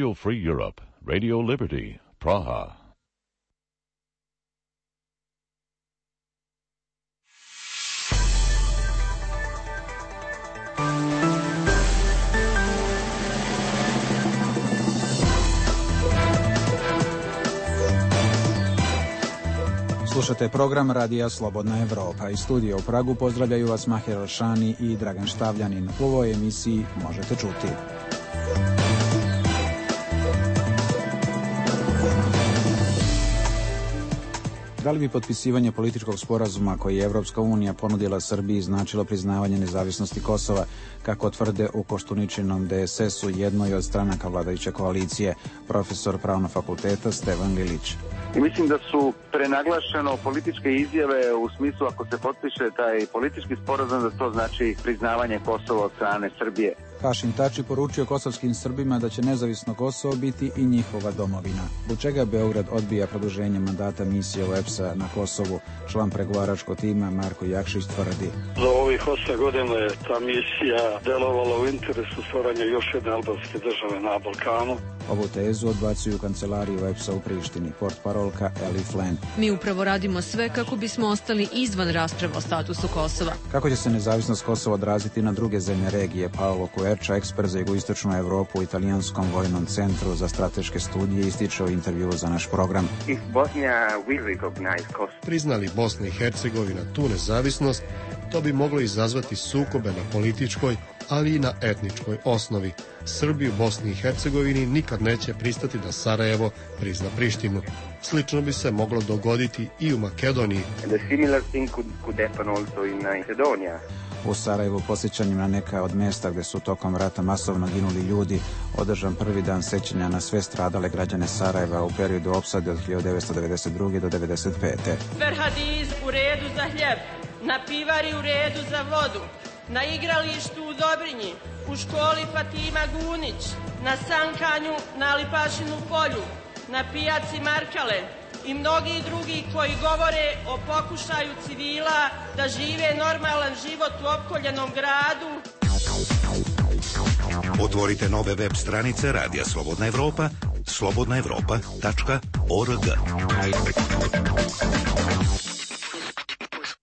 Radio Free Europe, Radio Liberty, Praha. Slušate program Radija Slobodna Evropa. Iz studija u Pragu pozdravljaju vas Mahir Alšani i Dragan Štavljanin. U ovoj emisiji možete čuti: da li bi potpisivanje političkog sporazuma koji je Evropska unija ponudila Srbiji značilo priznavanje nezavisnosti Kosova, kako tvrde u Koštuničinom DSS-u, jednoj od stranaka vladajuće koalicije, profesor Pravnog fakulteta Stevan Lilić? Mislim da su prenaglašeno političke izjave u smislu ako se potpiše taj politički sporazum da to znači priznavanje Kosova od strane Srbije. Hašim Tači poručio kosovskim Srbima da će nezavisno Kosovo biti i njihova domovina. Zbog čega Beograd odbija produženje mandata misije OEBS-a na Kosovu? Član pregovaračkog tima Marko Jakšić tvrdi: za ovih 8 godina je ta misija delovala u interesu stvaranja još jedne albanske države na Balkanu. Ovu tezu odbacuju u kancelariji OEBS-a u Prištini, portparolka Ellie Flynn. Mi upravo radimo sve kako bismo ostali izvan rasprave o statusu Kosova. Kako će se nezavisnost Kosova odraziti na druge zemlje regije? Paolo Kuerča, ekspert za jugoistočnu Evropu u Italijanskom vojnom centru za strateške studije, ističe u intervju za naš program. Priznali Bosna i Hercegovina tu nezavisnost, to bi moglo izazvati sukobe na političkoj, ali i na etničkoj osnovi. Srbi u Bosni i Hercegovini nikad neće pristati da Sarajevo prizna Prištinu. Slično bi se moglo dogoditi i u Makedoniji. U Sarajevu posjećanjem na neka od mjesta gdje su tokom rata masovno ginuli ljudi održan prvi dan sećanja na sve stradale građane Sarajeva u periodu opsade od 1992. do 1995. Ferhadiz u redu za hljeb, na pivari u redu za vodu, na igralištu u Dobrinji, u školi Fatima Gunić, na sankanju na Lipašinu polju, na pijaci Markale i mnogi drugi koji govore o pokušaju civila da žive normalan život u opkoljenom gradu. Otvorite nove web stranice Radija Slobodna Evropa, slobodnaevropa.org.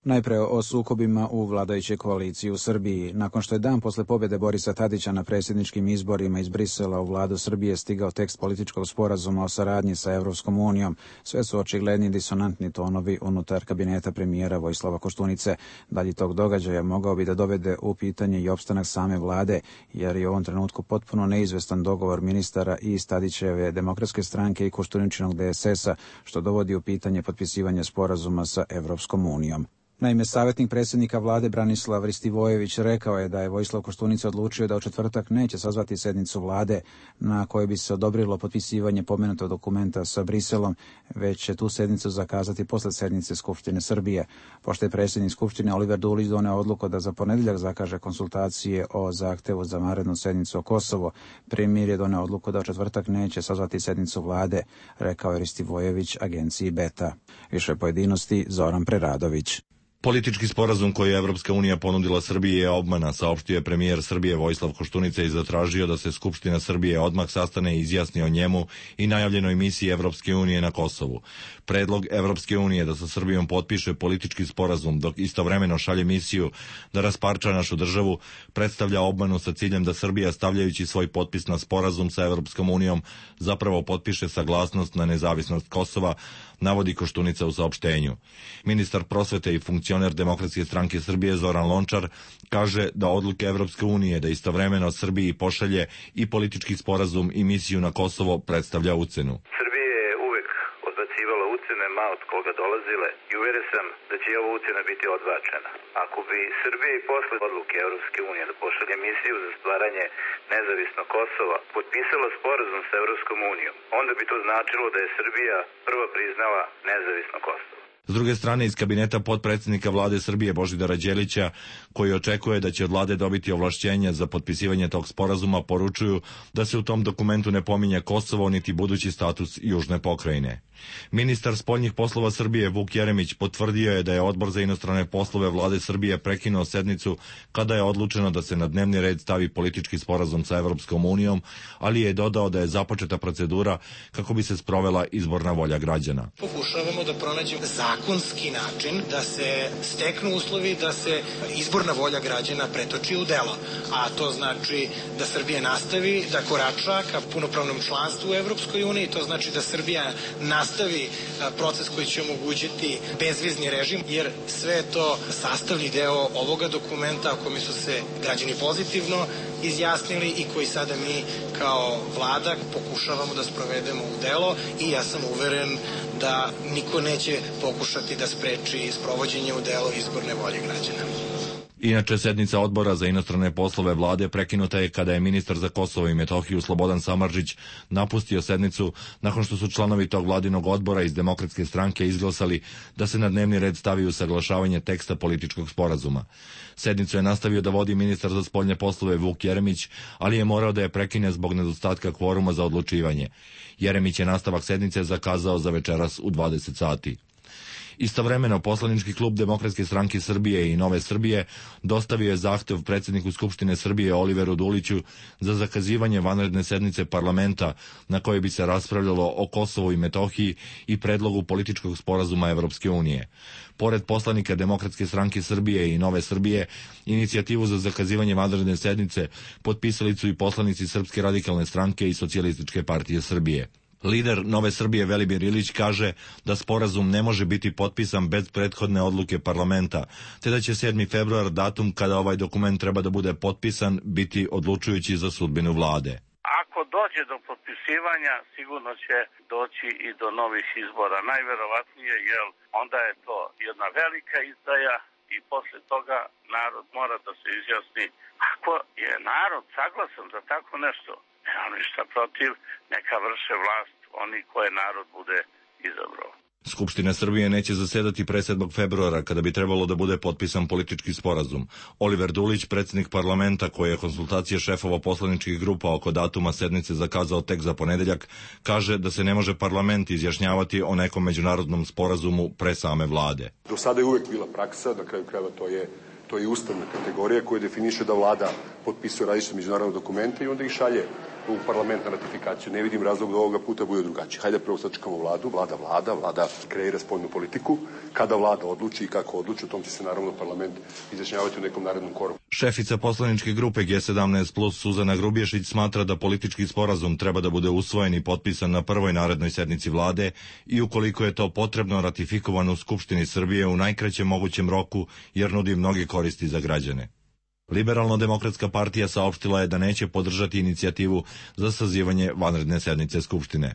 Najpre o sukobima u vladajućoj koaliciji u Srbiji. Nakon što je dan posle pobjede Borisa Tadića na predsjedničkim izborima iz Brisela u vladu Srbije stigao tekst političkog sporazuma o saradnji sa Evropskom unijom, sve su očigledni disonantni tonovi unutar kabineta premijera Vojislava Koštunice. Dalje tog događaja mogao bi da dovede u pitanje i opstanak same vlade, jer je u ovom trenutku potpuno neizvestan dogovor ministara iz Tadićeve Demokratske stranke i Koštuničinog DSS-a, što dovodi u pitanje potpisivanje sporazuma sa Evropskom unijom. Naime, savjetnik predsjednika vlade Branislav Ristivojević rekao je da je Vojislav Koštunica odlučio da u četvrtak neće sazvati sednicu vlade na kojoj bi se odobrilo potpisivanje pomenutog dokumenta sa Briselom, već će tu sednicu zakazati posle sednice Skupštine Srbije. Pošto je predsjednik Skupštine Oliver Dulić doneo odluku da za ponedjeljak zakaže konsultacije o zahtevu za vanrednu sednicu o Kosovo, premijer je doneo odluku da u četvrtak neće sazvati sednicu vlade, rekao je Ristivojević agenciji Beta. Više pojedinosti Zoran Preradović. Politički sporazum koji je Evropska unija ponudila Srbiji je obmana, saopštio je premijer Srbije Vojislav Koštunica i zatražio da se Skupština Srbije odmah sastane i izjasni o njemu i najavljenoj misiji Evropske unije na Kosovu. Predlog Evropske unije da sa Srbijom potpiše politički sporazum dok istovremeno šalje misiju da rasparča našu državu predstavlja obmanu sa ciljem da Srbija, stavljajući svoj potpis na sporazum sa Evropskom unijom, zapravo potpiše saglasnost na nezavisnost Kosova, navodi Koštunica u saopštenju. Ministar prosvete i funkcioner Demokratske stranke Srbije Zoran Lončar kaže da odluke Evropske unije da istovremeno Srbiji pošalje i politički sporazum i misiju na Kosovo predstavlja ucenu. Srbija je uvek odbacivala ucene ma od koga dolazile i uvjeren sam da će ova ucena biti odbačena. Ako bi Srbija i posle odluke Evropske unije da pošalje misiju za stvaranje nezavisnog Kosova potpisala sporazum sa Evropskom unijom, onda bi to značilo da je Srbija prva priznala nezavisno Kosovo. S druge strane, iz kabineta potpredsjednika vlade Srbije Božidara Đelića, koji očekuje da će od vlade dobiti ovlašćenja za potpisivanje tog sporazuma, poručuju da se u tom dokumentu ne pominje Kosovo niti budući status južne pokrajine. Ministar spoljnih poslova Srbije Vuk Jeremić potvrdio je da je Odbor za inostrane poslove vlade Srbije prekinuo sednicu kada je odlučeno da se na dnevni red stavi politički sporazum sa Evropskom unijom, ali je dodao da je započeta procedura kako bi se sprovela izborna volja građana. Pokušavamo da pronađemo zakonski način da se steknu uslovi da se izborna volja građana pretoči u delo, a to znači da Srbija nastavi da korača ka punopravnom članstvu u Evropskoj uniji, to znači da Srbija nastavi proces koji će omogućiti bezvizni režim, jer sve je to sastavni deo ovoga dokumenta o kome su se građani pozitivno izjasnili i koji sada mi kao vlada pokušavamo da sprovedemo u delo, i ja sam uveren da niko neće pokušati da spreči sprovođenje u delo izborne volje građana. Inače, sednica Odbora za inostrane poslove vlade prekinuta je kada je ministar za Kosovo i Metohiju Slobodan Samardžić napustio sednicu nakon što su članovi tog vladinog odbora iz Demokratske stranke izglasali da se na dnevni red stavi usaglašavanje teksta političkog sporazuma. Sednicu je nastavio da vodi ministar za spoljne poslove Vuk Jeremić, ali je morao da je prekine zbog nedostatka kvoruma za odlučivanje. Jeremić je nastavak sednice zakazao za večeras u 20 sati. Istovremeno, poslanički klub Demokratske stranke Srbije i Nove Srbije dostavio je zahtev predsjedniku Skupštine Srbije Oliveru Duliću za zakazivanje vanredne sednice parlamenta na kojoj bi se raspravljalo o Kosovu i Metohiji i predlogu političkog sporazuma Evropske unije. Pored poslanika Demokratske stranke Srbije i Nove Srbije, inicijativu za zakazivanje vanredne sednice potpisali su i poslanici Srpske radikalne stranke i Socijalističke partije Srbije. Lider Nove Srbije Velimir Ilić kaže da sporazum ne može biti potpisan bez prethodne odluke parlamenta, te da će 7. februar, datum kada ovaj dokument treba da bude potpisan, biti odlučujući za sudbinu vlade. Ako dođe do potpisivanja, sigurno će doći i do novih izbora. Najverovatnije, jer onda je to jedna velika izdaja i posle toga narod mora da se izjasni. Ako je narod saglasan za tako nešto, nemam ništa protiv, neka vrše vlast oni koje narod bude izabrao. Skupština Srbije neće zasedati pre 7. februara, kada bi trebalo da bude potpisan politički sporazum. Oliver Dulić, predsjednik parlamenta, koji je konsultacije šefova poslaničkih grupa oko datuma sednice zakazao tek za ponedeljak, kaže da se ne može parlament izjašnjavati o nekom međunarodnom sporazumu pre same vlade. Do sada je uvek bila praksa, na kraju krajeva to je ustavna kategorija koja definiše da vlada potpisuje različite međunarodne dokumente i onda ih šalje u parlament na ratifikaciju. Ne vidim razlog da ovoga puta bude drugačije. Hajde prvo sačekamo vladu, vlada kreira spoljnu politiku. Kada vlada odluči i kako odluči, o tom će se naravno parlament izjašnjavati u nekom narednom koraku. Šefica poslaničke grupe G17+ Suzana Grubješić smatra da politički sporazum treba da bude usvojen i potpisan na prvoj narednoj sednici vlade i ukoliko je to potrebno ratifikovan u Skupštini Srbije u najkraćem mogućem roku, jer nudi mnoge koristi za građane. Liberalno-demokratska partija saopštila je da neće podržati inicijativu za sazivanje vanredne sednice Skupštine.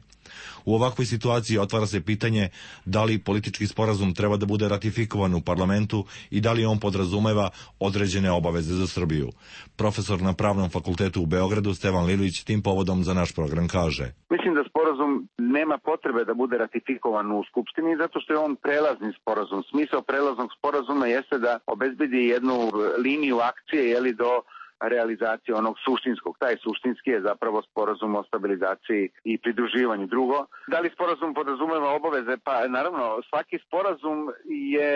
U ovakvoj situaciji otvara se pitanje da li politički sporazum treba da bude ratifikovan u parlamentu i da li on podrazumeva određene obaveze za Srbiju. Profesor na Pravnom fakultetu u Beogradu Stevan Lilić tim povodom za naš program kaže: Mislim da sporazum nema potrebe da bude ratifikovan u Skupštini zato što je on prelazni sporazum. Smisao prelaznog sporazuma jeste da obezbedi jednu liniju akcije do realizacije onog suštinskog. Taj suštinski je zapravo sporazum o stabilizaciji i pridruživanju. Drugo, da li sporazum podrazumeva obaveze? Pa naravno, svaki sporazum je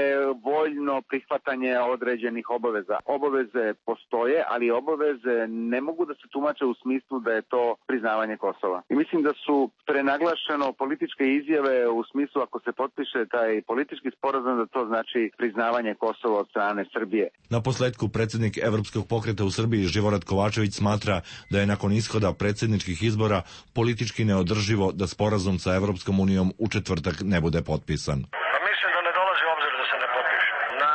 voljno prihvatanje određenih obaveza. Obaveze postoje, ali obaveze ne mogu da se tumače u smislu da je to priznavanje Kosova. I mislim da su prenaglašeno političke izjave u smislu ako se potpiše taj politički sporazum da to znači priznavanje Kosova od strane Srbije. Na posledku predsjednik Evropskog pokreta u Srbiji Živorad Kovačević smatra da je nakon ishoda predsjedničkih izbora politički neodrživo da sporazum sa Evropskom unijom u četvrtak ne bude potpisan. Pa mislim da ne dolazi u obzir da se ne potpiše. Na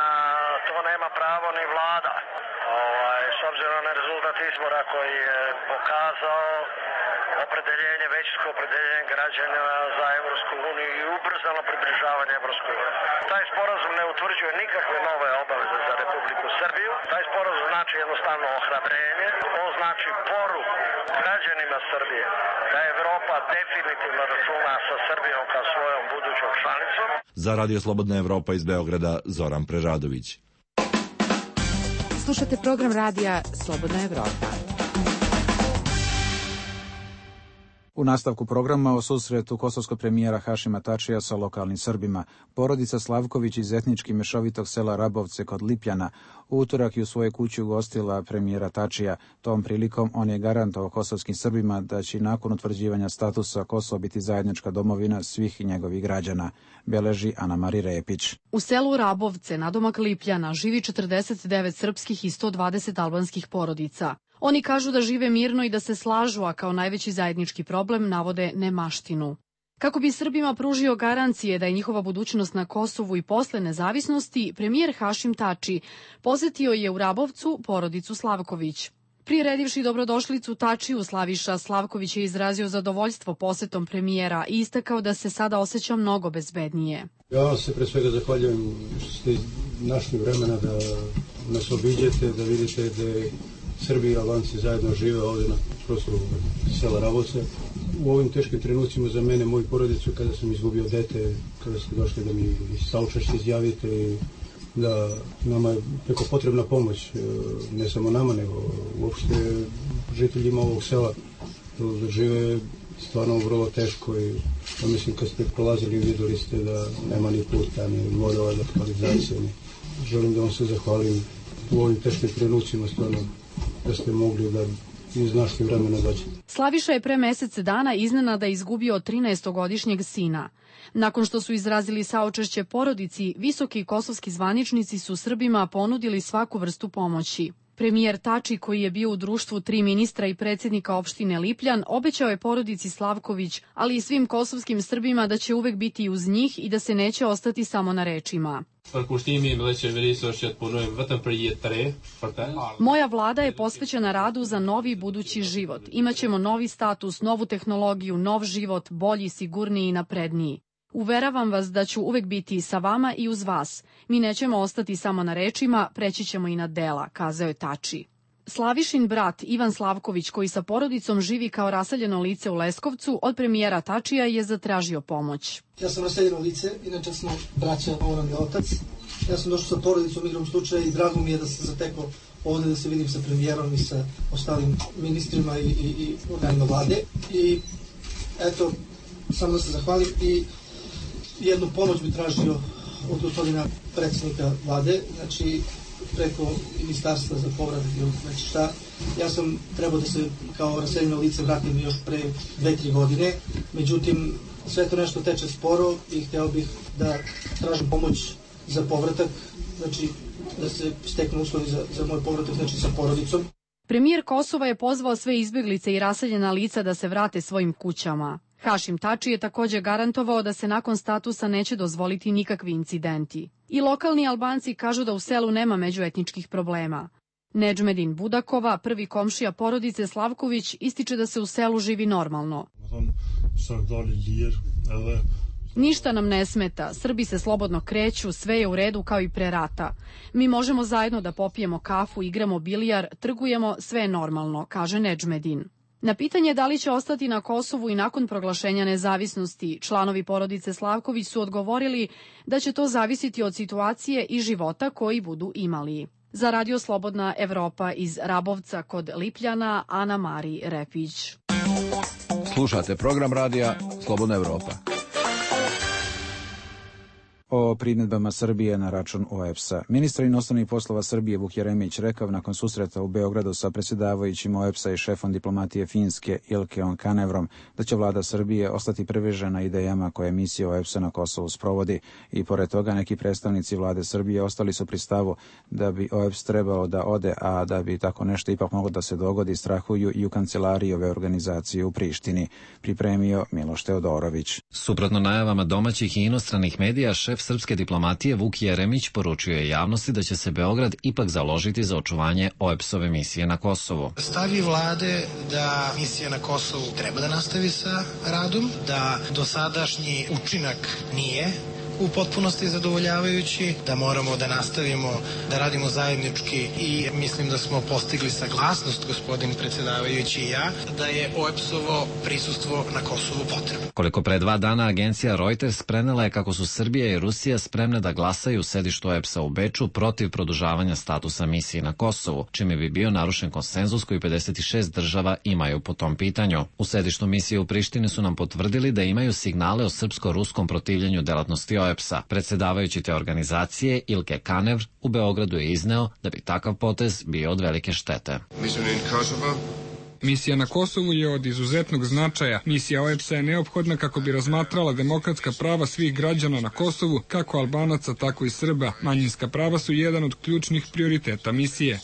to nema pravo ni vlada. S obzirom na rezultat izbora koji je pokazao opredeljenje, većinsko opredeljenje građana za Evropsku uniju i ubrzano približavanje Evropskoj uniji. Taj sporazum ne utvrđuje nikakve nove obaveze za Republiku Srbiju. Taj sporazum znači jednostavno ohrabrenje. On znači poruku građanima Srbije da Evropa definitivno računa sa Srbijom kao svojom budućom članicom. Za Radio Slobodna Evropa iz Beograda Zoran Preradović. Slušate program radija Slobodna Evropa. U nastavku programa o susretu kosovskog premijera Hašima Tačija sa lokalnim Srbima, porodica Slavković iz etnički mešovitog sela Rabovce kod Lipljana u utorak je u svojoj kući ugostila premijera Tačija. Tom prilikom on je garantovao kosovskim Srbima da će nakon utvrđivanja statusa Kosovo biti zajednička domovina svih njegovih građana, beleži Ana Mari Repić. U selu Rabovce, nadomak Lipljana, živi 49 srpskih i 120 albanskih porodica. Oni kažu da žive mirno i da se slažu, a kao najveći zajednički problem navode nemaštinu. Kako bi Srbima pružio garancije da je njihova budućnost na Kosovu i posle nezavisnosti, premijer Hašim Tači posetio je u Rabovcu porodicu Slavković. Priredivši dobrodošlicu Tačiju, Slaviša Slavković je izrazio zadovoljstvo posetom premijera i istakao da se sada osjeća mnogo bezbednije. Ja vam se pre svega zahvaljujem što ste našli vremena da nas obiđete, da vidite da Srbi i Albanci zajedno žive ovdje na prostoru sela Rabovce. U ovim teškim trenucima za mene, moju porodicu, kada sam izgubio dete, kada ste došli da mi saučešće izjavite i da nama je preko potrebna pomoć, ne samo nama, nego uopšte žiteljima ovog sela, da žive stvarno vrlo teško i mislim kad ste prolazili vidjeli ste da nema ni puta, ni vodova, ni kanalizacije. Želim da vam se zahvalim u ovim teškim trenucima, stvarno da ste mogli da iznašli vremena dođete. Slaviša je pre mesec dana iznenada izgubio 13-godišnjeg sina. Nakon što su izrazili saučešće porodici, visoki kosovski zvaničnici su Srbima ponudili svaku vrstu pomoći. Premijer Tači, koji je bio u društvu 3 ministra i predsjednika opštine Lipljan, obećao je porodici Slavković, ali i svim kosovskim Srbima da će uvek biti uz njih i da se neće ostati samo na rečima. Moja vlada je posvećena radu za novi budući život. Imaćemo novi status, novu tehnologiju, nov život, bolji, sigurniji i napredniji. Uveravam vas da ću uvek biti sa vama i uz vas. Mi nećemo ostati samo na rečima, preći ćemo i na dela, kazao je Tači. Slavišin brat Ivan Slavković, koji sa porodicom živi kao raseljeno lice u Leskovcu, od premijera Tačija je zatražio pomoć. Ja sam raseljeno lice, inače smo braća, ovo nam je otac. Ja sam došao sa porodicom igrom slučaja i drago mi je da sam zatekao ovdje da se vidim sa premijerom i sa ostalim ministrima i organima vlade. I eto, samo da se zahvalim i jednu pomoć bi tražio od gospodina predsjednika vlade, znači preko ministarstva za povratak ili znači šta. Ja sam trebao da se kao raseljeno lice vratim još pre 2-3 godine, međutim sve to nešto teče sporo i hteo bih da tražim pomoć za povratak, znači da se steknu uslovi za moj povratak, znači sa porodicom. Premijer Kosova je pozvao sve izbjeglice i raseljena lica da se vrate svojim kućama. Hašim Tači je također garantovao da se nakon statusa neće dozvoliti nikakvi incidenti. I lokalni Albanci kažu da u selu nema međuetničkih problema. Nedžmedin Budakova, prvi komšija porodice Slavković, ističe da se u selu živi normalno. Ništa nam ne smeta, Srbi se slobodno kreću, sve je u redu kao i pre rata. Mi možemo zajedno da popijemo kafu, igramo bilijar, trgujemo, sve je normalno, kaže Nedžmedin. Na pitanje da li će ostati na Kosovu i nakon proglašenja nezavisnosti, članovi porodice Slavković su odgovorili da će to zavisiti od situacije i života koji budu imali. Za Radio Slobodna Evropa iz Rabovca kod Lipljana, Ana Mari Repić. Slušate program radija Slobodna Evropa. O primjedbama Srbije na račun OEBS-a. Ministar inostranih poslova Srbije Vuk Jeremić rekao nakon susreta u Beogradu sa predsjedavajućim OEBS-a i šefom diplomatije Finske Ilkeom Kanevrom da će vlada Srbije ostati privržena idejama koje misija OEBS-a na Kosovu sprovodi i pored toga neki predstavnici vlade Srbije ostali su pri stavu da bi OEBS trebalo da ode, a da bi tako nešto ipak moglo da se dogodi strahuju i u kancelariji ove organizacije u Prištini, pripremio Miloš Teodorović. Suprotno najavama domaćih i inostranih medija, šef srpske diplomatije Vuk Jeremić poručio je javnosti da će se Beograd ipak založiti za očuvanje OEBS-ove misije na Kosovu. Stav je vlade da misija na Kosovu treba da nastavi sa radom, da dosadašnji učinak nije u potpunosti zadovoljavajući, da moramo da nastavimo da radimo zajednički i mislim da smo postigli saglasnost, gospodin predsjedavajući i ja, da je OEBS-ovo prisustvo na Kosovu potrebno. Koliko pre 2 dana agencija Reuters prenela je kako su Srbija i Rusija spremne da glasaju u sedištu OEBS-a u Beču protiv produžavanja statusa misije na Kosovu, čime bi bio narušen konsenzus koji 56 država imaju po tom pitanju. U sedištu misije u Prištini su nam potvrdili da imaju signale o srpsko-ruskom protivljenju delatnosti OEBS-a. Predsedavajući te organizacije Ilke Kanevr u Beogradu je izneo da bi takav potez bio od velike štete. Misija na Kosovu je od izuzetnog značaja. Misija OEBS-a je neophodna kako bi razmatrala demokratska prava svih građana na Kosovu, kako Albanaca, tako i Srba. Manjinska prava su jedan od ključnih prioriteta misije.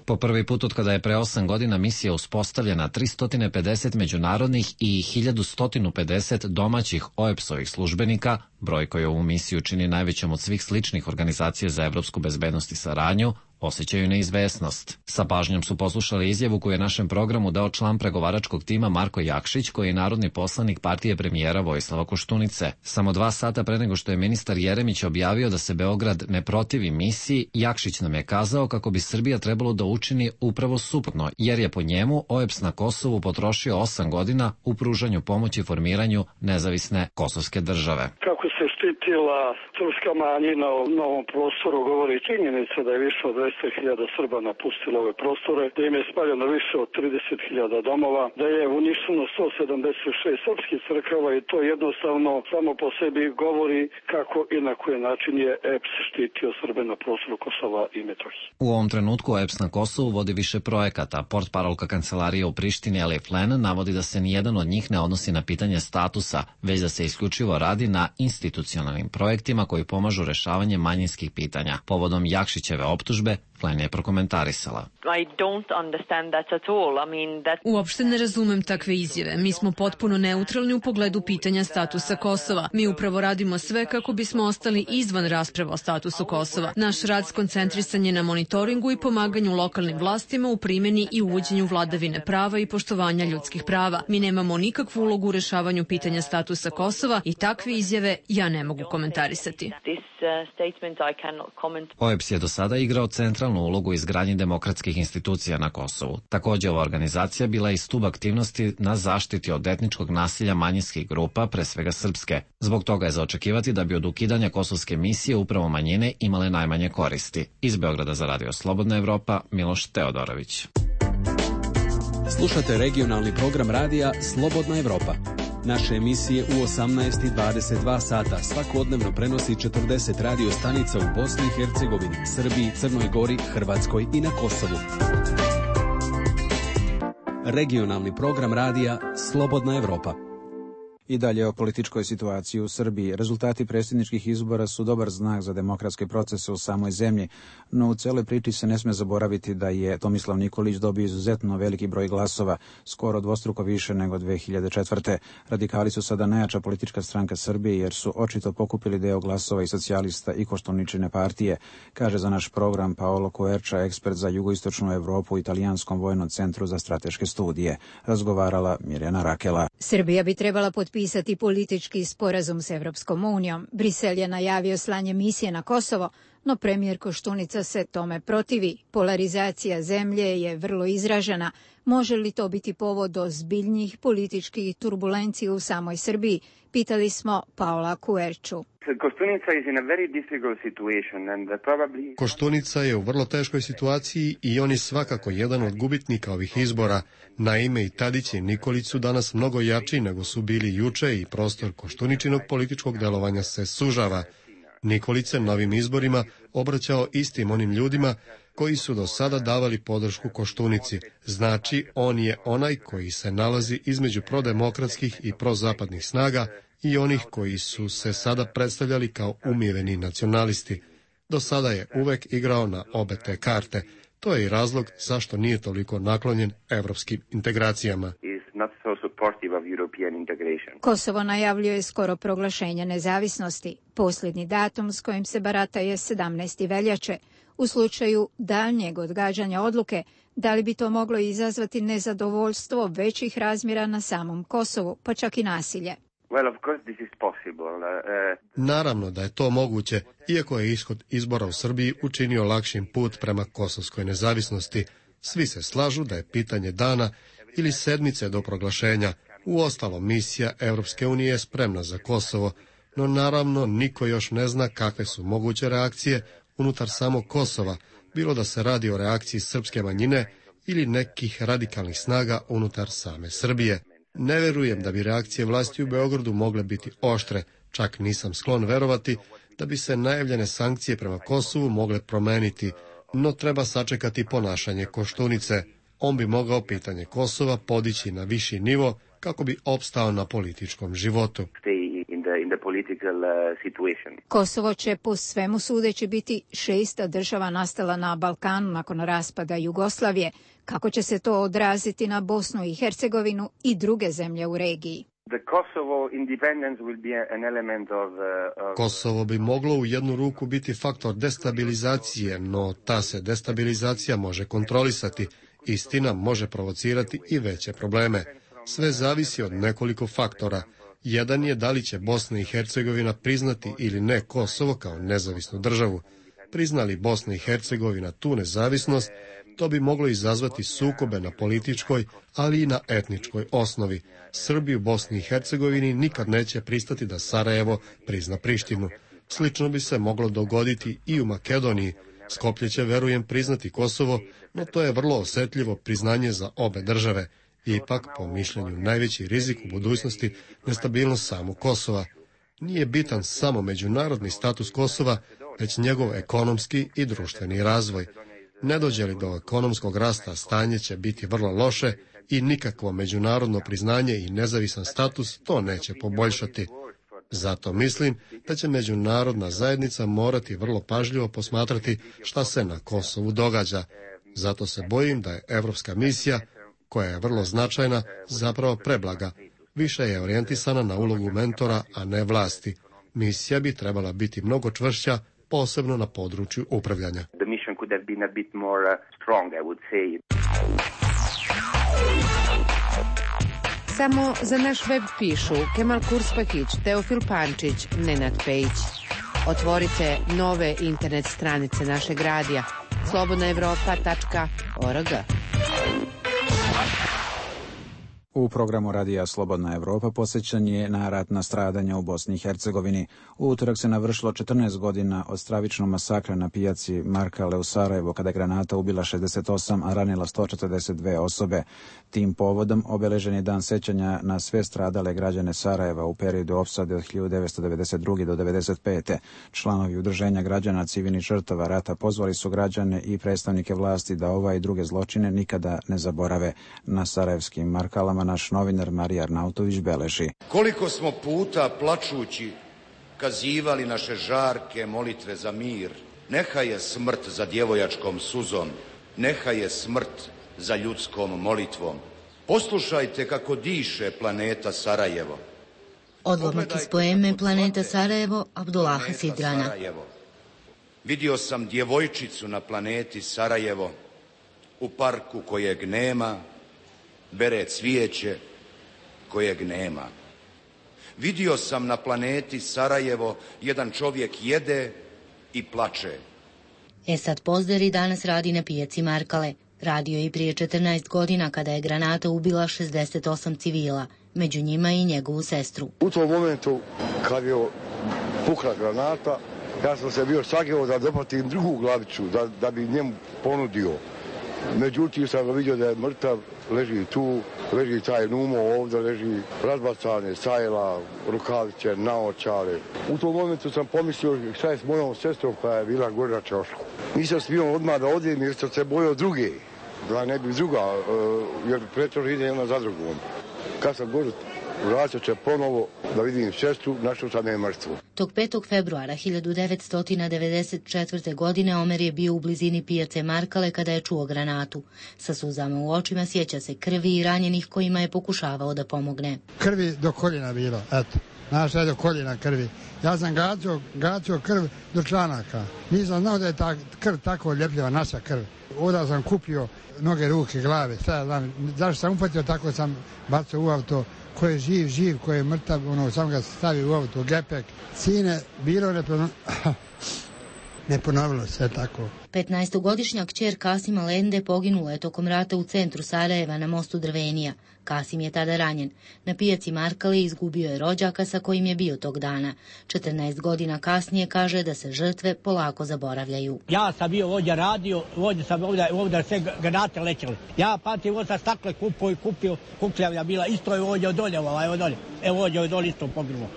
Po prvi put od kada je pre 8 godina misija uspostavljena, 350 međunarodnih i 1150 domaćih OEBS-ovih službenika, broj koji ovu misiju čini najvećom od svih sličnih organizacija za evropsku bezbednost i saradnju, osjećaju neizvesnost. Sa pažnjom su poslušali izjavu koju je našem programu dao član pregovaračkog tima Marko Jakšić, koji je narodni poslanik partije premijera Vojislava Koštunice. Samo 2 sata pre nego što je ministar Jeremić objavio da se Beograd ne protivi misiji, Jakšić nam je kazao kako bi Srbija trebalo da učini upravo suprotno, jer je po njemu OEBS na Kosovu potrošio 8 godina u pružanju pomoći formiranju nezavisne kosovske države. Kako se štitila srpska manjina u novom prostoru govori činjenica da je više od 200.000 Srba napustilo ove prostore, da im je spaljeno više od 30.000 domova, da je uništeno 176 srpskih crkava i to jednostavno samo po sebi govori kako i na koji način je EPS štitio Srbe na prostoru Kosova i Metohije. U ovom trenutku EPS na Kosovu vodi više projekata. Portparolka kancelarije u Prištini Ellie Flynn navodi da se nijedan od njih ne odnosi na pitanje statusa, već da se isključivo radi na institucionalnim projektima koji pomažu rešavanje manjinskih pitanja. Povodom Jakšićeve optužbe, Flynn je prokomentarisala. Uopšte ne razumem takve izjave. Mi smo potpuno neutralni u pogledu pitanja statusa Kosova. Mi upravo radimo sve kako bismo ostali izvan rasprava o statusu Kosova. Naš rad skoncentrisan je na monitoringu i pomaganju lokalnim vlastima u primjeni i uvođenju vladavine prava i poštovanja ljudskih prava. Mi nemamo nikakvu ulogu u rešavanju pitanja statusa Kosova i takve izjave ja ne mogu komentarisati. OEBS je do sada igrao centralnu ulogu u izgradnji demokratskih institucija na Kosovu. Također ova organizacija bila i stub aktivnosti na zaštiti od etničkog nasilja manjinskih grupa, pre svega srpske. Zbog toga je za očekivati da bi od ukidanja kosovske misije upravo manjine imale najmanje koristi. Iz Beograda za Radio Slobodna Evropa, Miloš Teodorović. Slušate regionalni program radija Slobodna Evropa. Naše emisije u 18 i 22 sata svakodnevno prenosi 40 radio stanica u Bosni i Hercegovini, Srbiji, Crnoj Gori, Hrvatskoj i na Kosovu. Regionalni program radija Slobodna Evropa. I dalje o političkoj situaciji u Srbiji. Rezultati predsjedničkih izbora su dobar znak za demokratske procese u samoj zemlji, no u celoj priči se ne sme zaboraviti da je Tomislav Nikolić dobio izuzetno veliki broj glasova, skoro dvostruko više nego 2004. Radikali su sada najjača politička stranka Srbije jer su očito pokupili deo glasova i socijalista i Koštuničine partije, kaže za naš program Paolo Coerča, ekspert za jugoistočnu Evropu u Italijanskom vojnom centru za strateške studije. Razgovarala Mirjana Rakela. Srbija bi trebala potpisati politički sporazum s Evropskom unijom. Brisel je najavio slanje misije na Kosovo, no premijer Koštunica se tome protivi. Polarizacija zemlje je vrlo izražena. Može li to biti povod do zbiljnjih političkih turbulencija u samoj Srbiji? Pitali smo Paola Coerču. Koštunica je u vrlo teškoj situaciji i on je svakako jedan od gubitnika ovih izbora. Naime, i Tadić i Nikolić su danas mnogo jači nego su bili juče i prostor Koštuničinog političkog delovanja se sužava. Nikolić se novim izborima obraćao istim onim ljudima koji su do sada davali podršku Koštunici. Znači, on je onaj koji se nalazi između prodemokratskih i prozapadnih snaga i onih koji su se sada predstavljali kao umiveni nacionalisti. Do sada je uvek igrao na obe te karte. To je i razlog zašto nije toliko naklonjen evropskim integracijama. Kosovo najavljuje skoro proglašenje nezavisnosti. Posljednji datum s kojim se barata je 17. veljače. U slučaju daljnjeg odgađanja odluke, da li bi to moglo izazvati nezadovoljstvo većih razmjera na samom Kosovu, pa čak i nasilje? Naravno da je to moguće, iako je ishod izbora u Srbiji učinio lakšim put prema kosovskoj nezavisnosti. Svi se slažu da je pitanje dana ili sedmice do proglašenja. Uostalom, misija Evropske unije je spremna za Kosovo, no naravno niko još ne zna kakve su moguće reakcije unutar samog Kosova, bilo da se radi o reakciji srpske manjine ili nekih radikalnih snaga unutar same Srbije. Ne verujem da bi reakcije vlasti u Beogradu mogle biti oštre, čak nisam sklon verovati da bi se najavljene sankcije prema Kosovu mogle promeniti, no treba sačekati ponašanje Koštunice. On bi mogao pitanje Kosova podići na viši nivo kako bi opstao na političkom životu. Kosovo će po svemu sudeći biti 6. država nastala na Balkanu nakon raspada Jugoslavije. Kako će se to odraziti na Bosnu i Hercegovinu i druge zemlje u regiji? Kosovo bi moglo u jednu ruku biti faktor destabilizacije, no ta se destabilizacija može kontrolisati. Istina može provocirati i veće probleme. Sve zavisi od nekoliko faktora. Jedan je da li će Bosna i Hercegovina priznati ili ne Kosovo kao nezavisnu državu. Priznali Bosna i Hercegovina tu nezavisnost, to bi moglo izazvati sukobe na političkoj, ali i na etničkoj osnovi. Srbi u Bosni i Hercegovini nikad neće pristati da Sarajevo prizna Prištinu. Slično bi se moglo dogoditi i u Makedoniji. Skoplje će, verujem, priznati Kosovo, no to je vrlo osetljivo priznanje za obe države. Ipak, po mišljenju, najveći rizik u budućnosti nestabilnost samog Kosova. Nije bitan samo međunarodni status Kosova, već njegov ekonomski i društveni razvoj. Ne dođe li do ekonomskog rasta, stanje će biti vrlo loše i nikakvo međunarodno priznanje i nezavisan status to neće poboljšati. Zato mislim da će međunarodna zajednica morati vrlo pažljivo posmatrati šta se na Kosovu događa. Zato se bojim da je evropska misija, koja je vrlo značajna, zapravo preblaga. Više je orijentisana na ulogu mentora, a ne vlasti. Misija bi trebala biti mnogo čvršća, posebno na području upravljanja. Samo za naš web pišu Kemal Kurspahić, Teofil Pančić, Nenad Pejić. Otvorite nove internet stranice našeg radija slobodnaevropa.org. U programu radija Slobodna Evropa posjećan je na ratna stradanja u Bosni i Hercegovini. U utorak se navršilo 14 godina od stravičnog masakra na pijaci Markale u Sarajevo, kada je granata ubila 68, a ranila 142 osobe. Tim povodom obeležen je dan sećanja na sve stradale građane Sarajeva u periodu opsade od 1992. do 1995. Članovi udruženja građana civilnih žrtava rata pozvali su građane i predstavnike vlasti da ova i druge zločine nikada ne zaborave. Na sarajevskim Markalama naš novinar Marija Arnautović beleži. Koliko smo puta plačući kazivali naše žarke molitve za mir. Neha je smrt za djevojačkom suzom, neha je smrt za ljudskom molitvom. Poslušajte kako diše planeta Sarajevo. Odlomak iz poeme Planeta Sarajevo Abdullaha Sidrana. Vidio sam djevojčicu na planeti Sarajevo, u parku kojeg nema, bere cvijeće kojeg nema. Vidio sam na planeti Sarajevo jedan čovjek jede i plače. Esad Pozderi danas radi na pijaci Markale. Radio je i prije 14 godina kada je granata ubila 68 civila, među njima i njegovu sestru. U tom momentu kad je pukla granata, ja sam se bio sageo da dopatim drugu glavicu, da bi njemu ponudio. Međutim sam ga vidio da je mrtav, leži tu, leži taj Numo ovdje, leži razbacane sajla, rukavice, naočare. U tom momentu sam pomislio šta je s mojom sestrom koja je bila gore na ćošku. Nisam smio odmah da odem jer sam se bojao druge, da ne bi druga, jer preto ide jedna za drugom. Kad sam gore, vraćao se ponovo da vidim sestru, našao sam je mrtvu. Tog 5. februara 1994. godine Omer je bio u blizini pijace Markale kada je čuo granatu. Sa suzama u očima sjeća se krvi i ranjenih kojima je pokušavao da pomogne. Krvi do koljena bilo, eto. Znaš, do koljena krvi. Ja sam gacio krv do članaka. Nisam znao da je ta krv tako ljepljiva, naša krv. Onda sam kupio noge, ruke, glave. Zašto sam upatio, tako sam bacio u auto, ko je živ, ko je mrtav, samo ga stavi u auto, u gepek. Sine, bilo ne ponovilo se tako. 15-godišnja kćer Kasima Lende poginula je tokom rata u centru Sarajeva na mostu Drvenija. Kasim je tada ranjen. Na pijaci Markale izgubio je rođaka sa kojim je bio tog dana. 14 godina kasnije kaže da se žrtve polako zaboravljaju. Ja sam bio ovdje radio, ovdje sam ovdje sve granate lećele. Ja pamtim ovdje stakle kupio, kukljavlja bila, isto je ovdje odolje, evo ovdje odolje isto poginulo.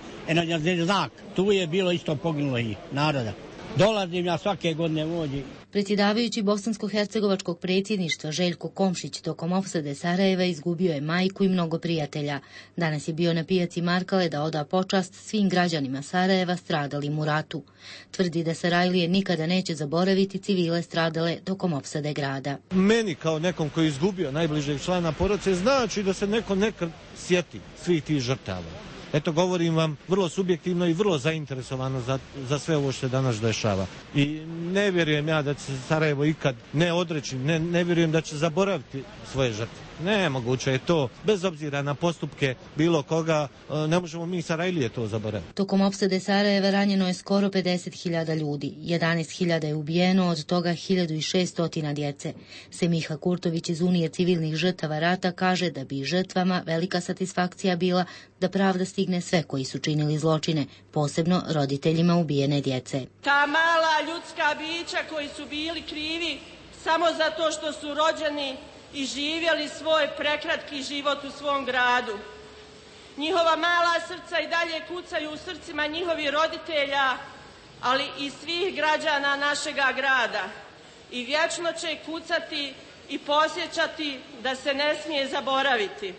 Znak, tu je bilo isto poginulo i naroda. Dolazim ja svake godine ovdje. Predsjedavajući bosansko-hercegovačkog predsjedništva Željko Komšić tokom opsade Sarajeva izgubio je majku i mnogo prijatelja. Danas je bio na pijaci Markale da oda počast svim građanima Sarajeva stradalim u ratu. Tvrdi da Sarajlije nikada neće zaboraviti civile stradale tokom opsade grada. Meni kao nekom koji je izgubio najbližeg člana porodice znači da se neko nekad sjeti svih tih žrtava. Eto, govorim vam vrlo subjektivno i vrlo zainteresovano za sve ovo što se danas dešava. I ne vjerujem ja da će se Sarajevo ikad ne odreći, ne vjerujem da će zaboraviti svoje žrtve. Nemoguće je to, bez obzira na postupke bilo koga, ne možemo mi Sarajlije to zaboraviti. Tokom opsade Sarajeva ranjeno je skoro 50.000 ljudi, 11.000 je ubijeno, od toga 1.600 djece. Semiha Kurtović iz Unije civilnih žrtava rata kaže da bi žrtvama velika satisfakcija bila da pravda stigne sve koji su činili zločine, posebno roditeljima ubijene djece. Ta mala ljudska bića koji su bili krivi samo zato što su rođeni i živjeli svoj prekratki život u svom gradu. Njihova mala srca i dalje kucaju u srcima njihovih roditelja, ali i svih građana našega grada. I vječno će kucati i posjećati da se ne smije zaboraviti.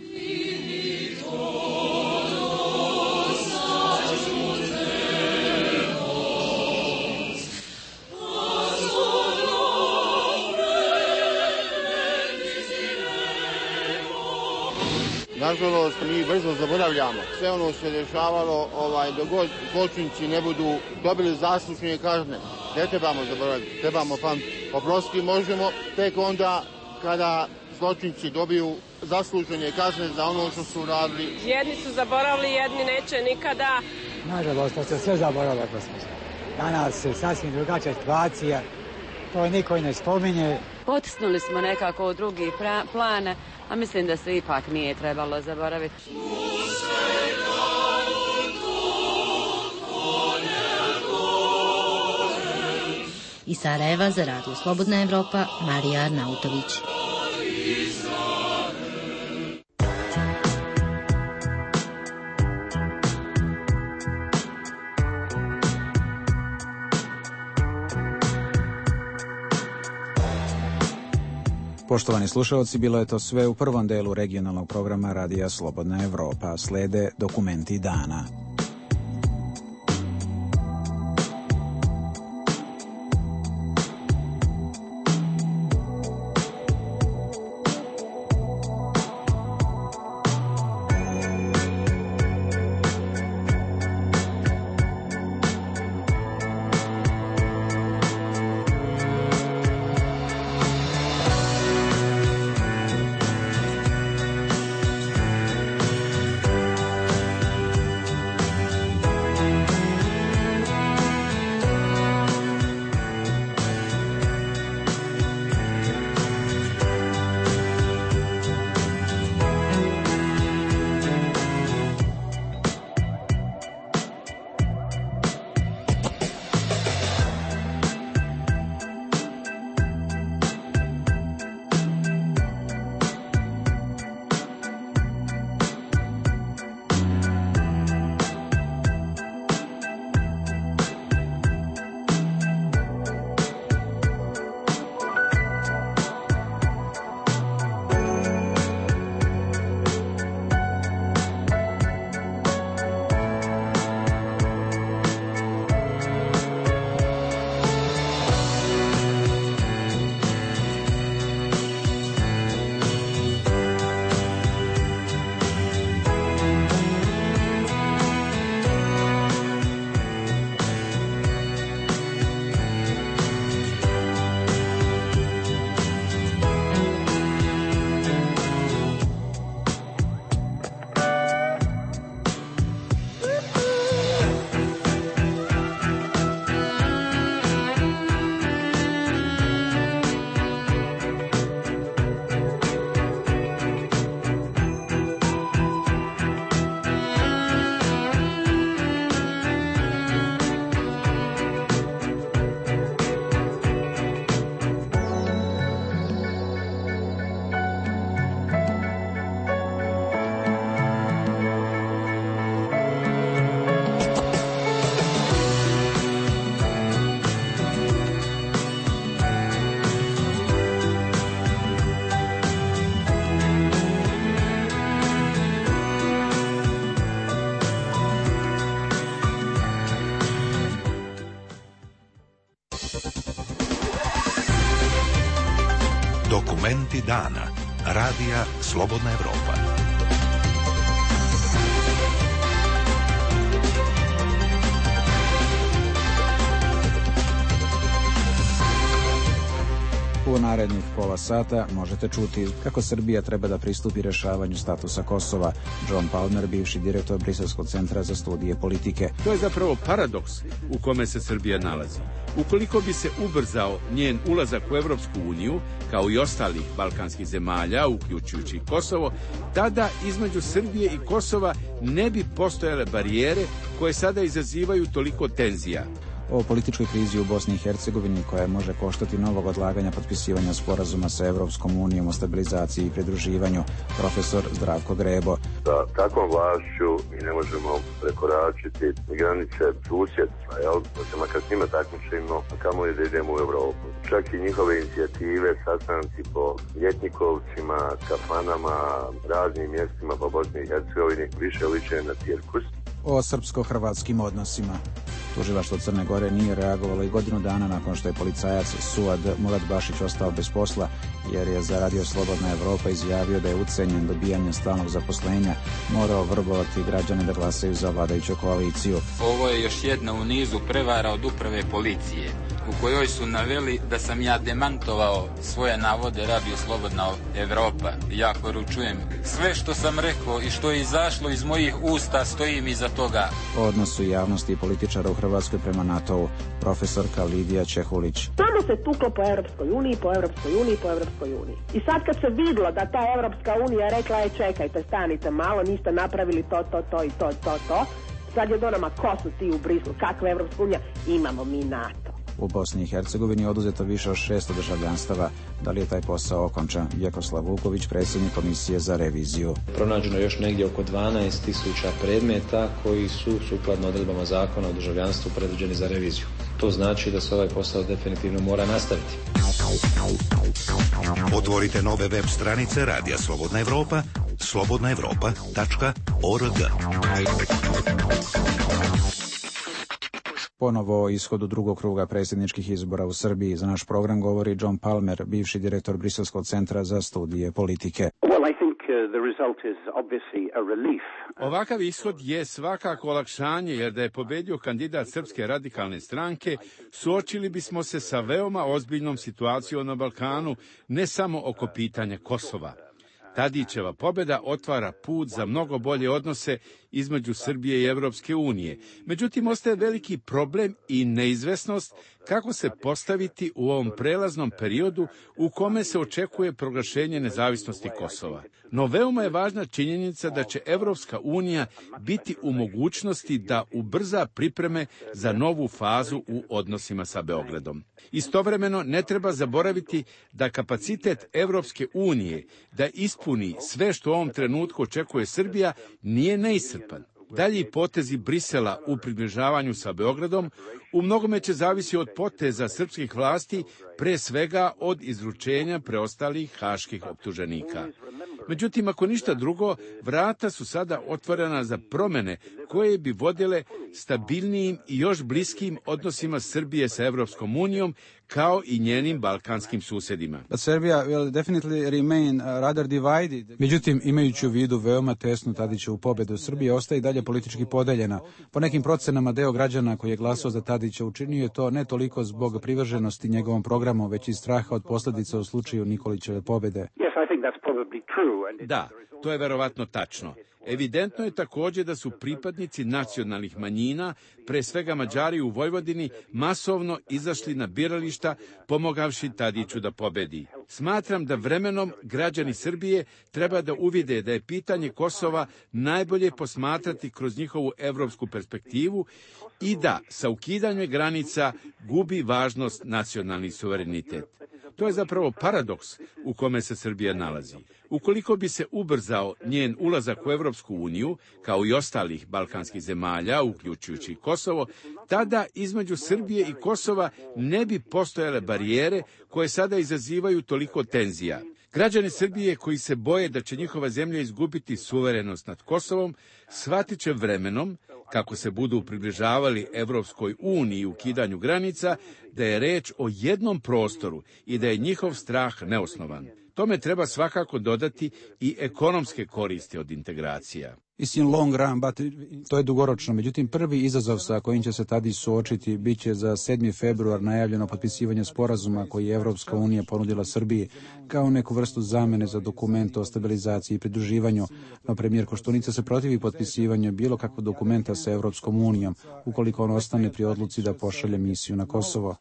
Nažalost, mi brzo zaboravljamo sve ono što se dešavalo, dok god zločinci ne budu dobili zaslužne kazne. Ne trebamo zaboraviti, trebamo pamtiti. Oprostiti možemo tek onda kada zločinci dobiju zaslužene kazne za ono što su radili. Jedni su zaboravili, jedni neće nikada. Nažalost, to se sve zaboravilo, gospodine. Danas je sasvim drugačija situacija, to niko i ne spominje. Potisnuli smo nekako u drugi plan, a mislim da se ipak nije trebalo zaboraviti. Iz Sarajeva za Radio Slobodna Evropa, Marija Arnautović. Poštovani slušalci, bilo je to sve u prvom delu regionalnog programa Radija Slobodna Evropa. Slede dokumenti dana. Momenti dana. Radija Slobodna Evropa. U narednih pola sata možete čuti kako Srbija treba da pristupi rešavanju statusa Kosova. John Palmer, bivši direktor Briselskog centra za studije politike. To je zapravo paradoks u kome se Srbija nalazi. Ukoliko bi se ubrzao njen ulazak u Evropsku uniju, kao i ostalih balkanskih zemalja, uključujući Kosovo, tada između Srbije i Kosova ne bi postojale barijere koje sada izazivaju toliko tenzija. O političkoj krizi u Bosni i Hercegovini koja može koštati novog odlaganja potpisivanja sporazuma sa Evropskom unijom o stabilizaciji i pridruživanju, profesor Zdravko Grebo. Sa takvom vlašću mi ne možemo prekoračiti granice susjedstva, da se makar s njima takmičimo, a kamo je da idemo u Evropu. Čak i njihove inicijative, sastanci po ljetnikovcima, kafanama, raznim mjestima po Bosni i Hercegovini više liče na cirkus. O srpsko-hrvatskim odnosima. Tužilaštvo Crne Gore nije reagovalo i godinu dana nakon što je policajac Suad Murat Bašić ostao bez posla, jer je za Radio Slobodna Evropa izjavio da je ucenjen dobijanjem stalnog zaposlenja morao vrbovati građane da glasaju za vladajuću koaliciju. Ovo je još jedna u nizu prevara od uprave policije, u kojoj su naveli da sam ja demantovao svoje navode Radio Slobodna Evropa. Ja poručujem, sve što sam rekao i što je izašlo iz mojih usta, stojim iza toga. O odnosu javnosti i političara u Hrvatskoj prema NATO-u, profesorka Lidija Čehulić. Samo se tuklo po Evropskoj uniji, po Evropskoj uniji, po Evropskoj uniji. I sad kad se vidlo da ta Evropska unija rekla je čekajte, stanite malo, niste napravili to i to, sad je do nama, ko su ti u Brislu, kakva Evropska unija, imamo mi NATO. U Bosni i Hercegovini je oduzeto više od 600 državljanstava. Da li je taj posao okončan? Vjekoslav Vuković, predsjednik Komisije za reviziju. Pronađeno još negdje oko 12.000 predmeta koji su sukladno odredbama zakona o državljanstvu predviđeni za reviziju. To znači da se ovaj posao definitivno mora nastaviti. Otvorite nove web stranice Radija Slobodna Evropa, slobodnaevropa.org. Ponovo o ishodu drugog kruga predsjedničkih izbora u Srbiji. Za naš program govori John Palmer, bivši direktor Briselskog centra za studije politike. Ovakav ishod je svakako olakšanje, jer da je pobedio kandidat Srpske radikalne stranke, suočili bismo se sa veoma ozbiljnom situacijom na Balkanu, ne samo oko pitanja Kosova. Tadićeva pobjeda otvara put za mnogo bolje odnose između Srbije i Evropske unije. Međutim, ostaje veliki problem i neizvesnost kako se postaviti u ovom prelaznom periodu u kome se očekuje proglašenje nezavisnosti Kosova. No veoma je važna činjenica da će Evropska unija biti u mogućnosti da ubrza pripreme za novu fazu u odnosima sa Beogradom. Istovremeno ne treba zaboraviti da kapacitet Evropske unije da ispuni sve što u ovom trenutku očekuje Srbija nije neiscrpan. Dalji potezi Brisela u približavanju sa Beogradom u mnogome će zavisi od poteza srpskih vlasti, pre svega od izručenja preostalih haških optuženika. Međutim, ako ništa drugo, vrata su sada otvorena za promene koje bi vodile stabilnijim i još bliskim odnosima Srbije sa Evropskom unijom, kao i njenim balkanskim susjedima. Međutim, imajući u vidu veoma tesnu Tadićevu pobjedu, Srbija ostaje i dalje politički podeljena. Po nekim procenama deo građana koji je glasao za Tadića učinio je to ne toliko zbog privrženosti njegovom programu, već iz straha od posljedica u slučaju Nikolićeve pobjede. Da, to je verovatno tačno. Evidentno je također da su pripadnici nacionalnih manjina, pre svega Mađari u Vojvodini, masovno izašli na birališta pomogavši Tadiću da pobedi. Smatram da vremenom građani Srbije treba da uvide da je pitanje Kosova najbolje posmatrati kroz njihovu evropsku perspektivu i da sa ukidanjem granica gubi važnost nacionalni suverenitet. To je zapravo paradoks u kome se Srbija nalazi. Ukoliko bi se ubrzao njen ulazak u Evropsku uniju, kao i ostalih balkanskih zemalja, uključujući Kosovo, tada između Srbije i Kosova ne bi postojale barijere koje sada izazivaju toliko tenzija. Građani Srbije koji se boje da će njihova zemlja izgubiti suverenost nad Kosovom, shvatit će vremenom, kako se budu približavali Evropskoj uniji u ukidanju granica, da je reč o jednom prostoru i da je njihov strah neosnovan. Tome treba svakako dodati i ekonomske koristi od integracija. It's in long run, but to je dugoročno. Međutim, prvi izazov sa kojim će se Tadić suočiti bit će za 7. februar najavljeno potpisivanje sporazuma koji je Evropska unija ponudila Srbiji kao neku vrstu zamene za dokument o stabilizaciji i pridruživanju. No premijer Koštunica se protivi potpisivanju bilo kakvog dokumenta sa Evropskom unijom ukoliko on ostane pri odluci da pošalje misiju na Kosovo.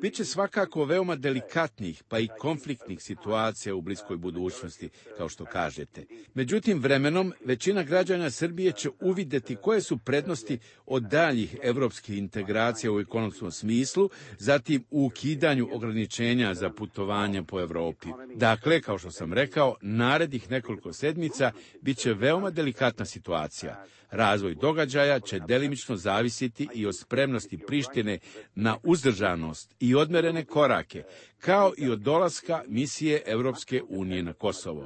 Biće svakako veoma delikatnih pa i konfliktnih situacija u bliskoj budućnosti, kao što kažete. Međutim, vremenom većina građana Srbije će uvidjeti koje su prednosti od daljih evropskih integracija u ekonomskom smislu, zatim u ukidanju ograničenja za putovanje po Evropi. Dakle, kao što sam rekao, narednih nekoliko sedmica bit će veoma delikatna situacija. Razvoj događaja će delimično zavisiti i od spremnosti Prištine na uzdržanost i odmerene korake, kao i od dolaska misije Evropske unije na Kosovo.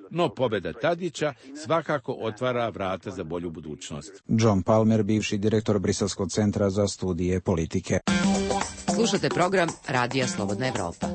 No pobjeda Tadića svakako otvara vrata za bolju budućnost. John Palmer, bivši direktor Briselskog centra za studije politike. Slušate program Radija Slobodna Evropa.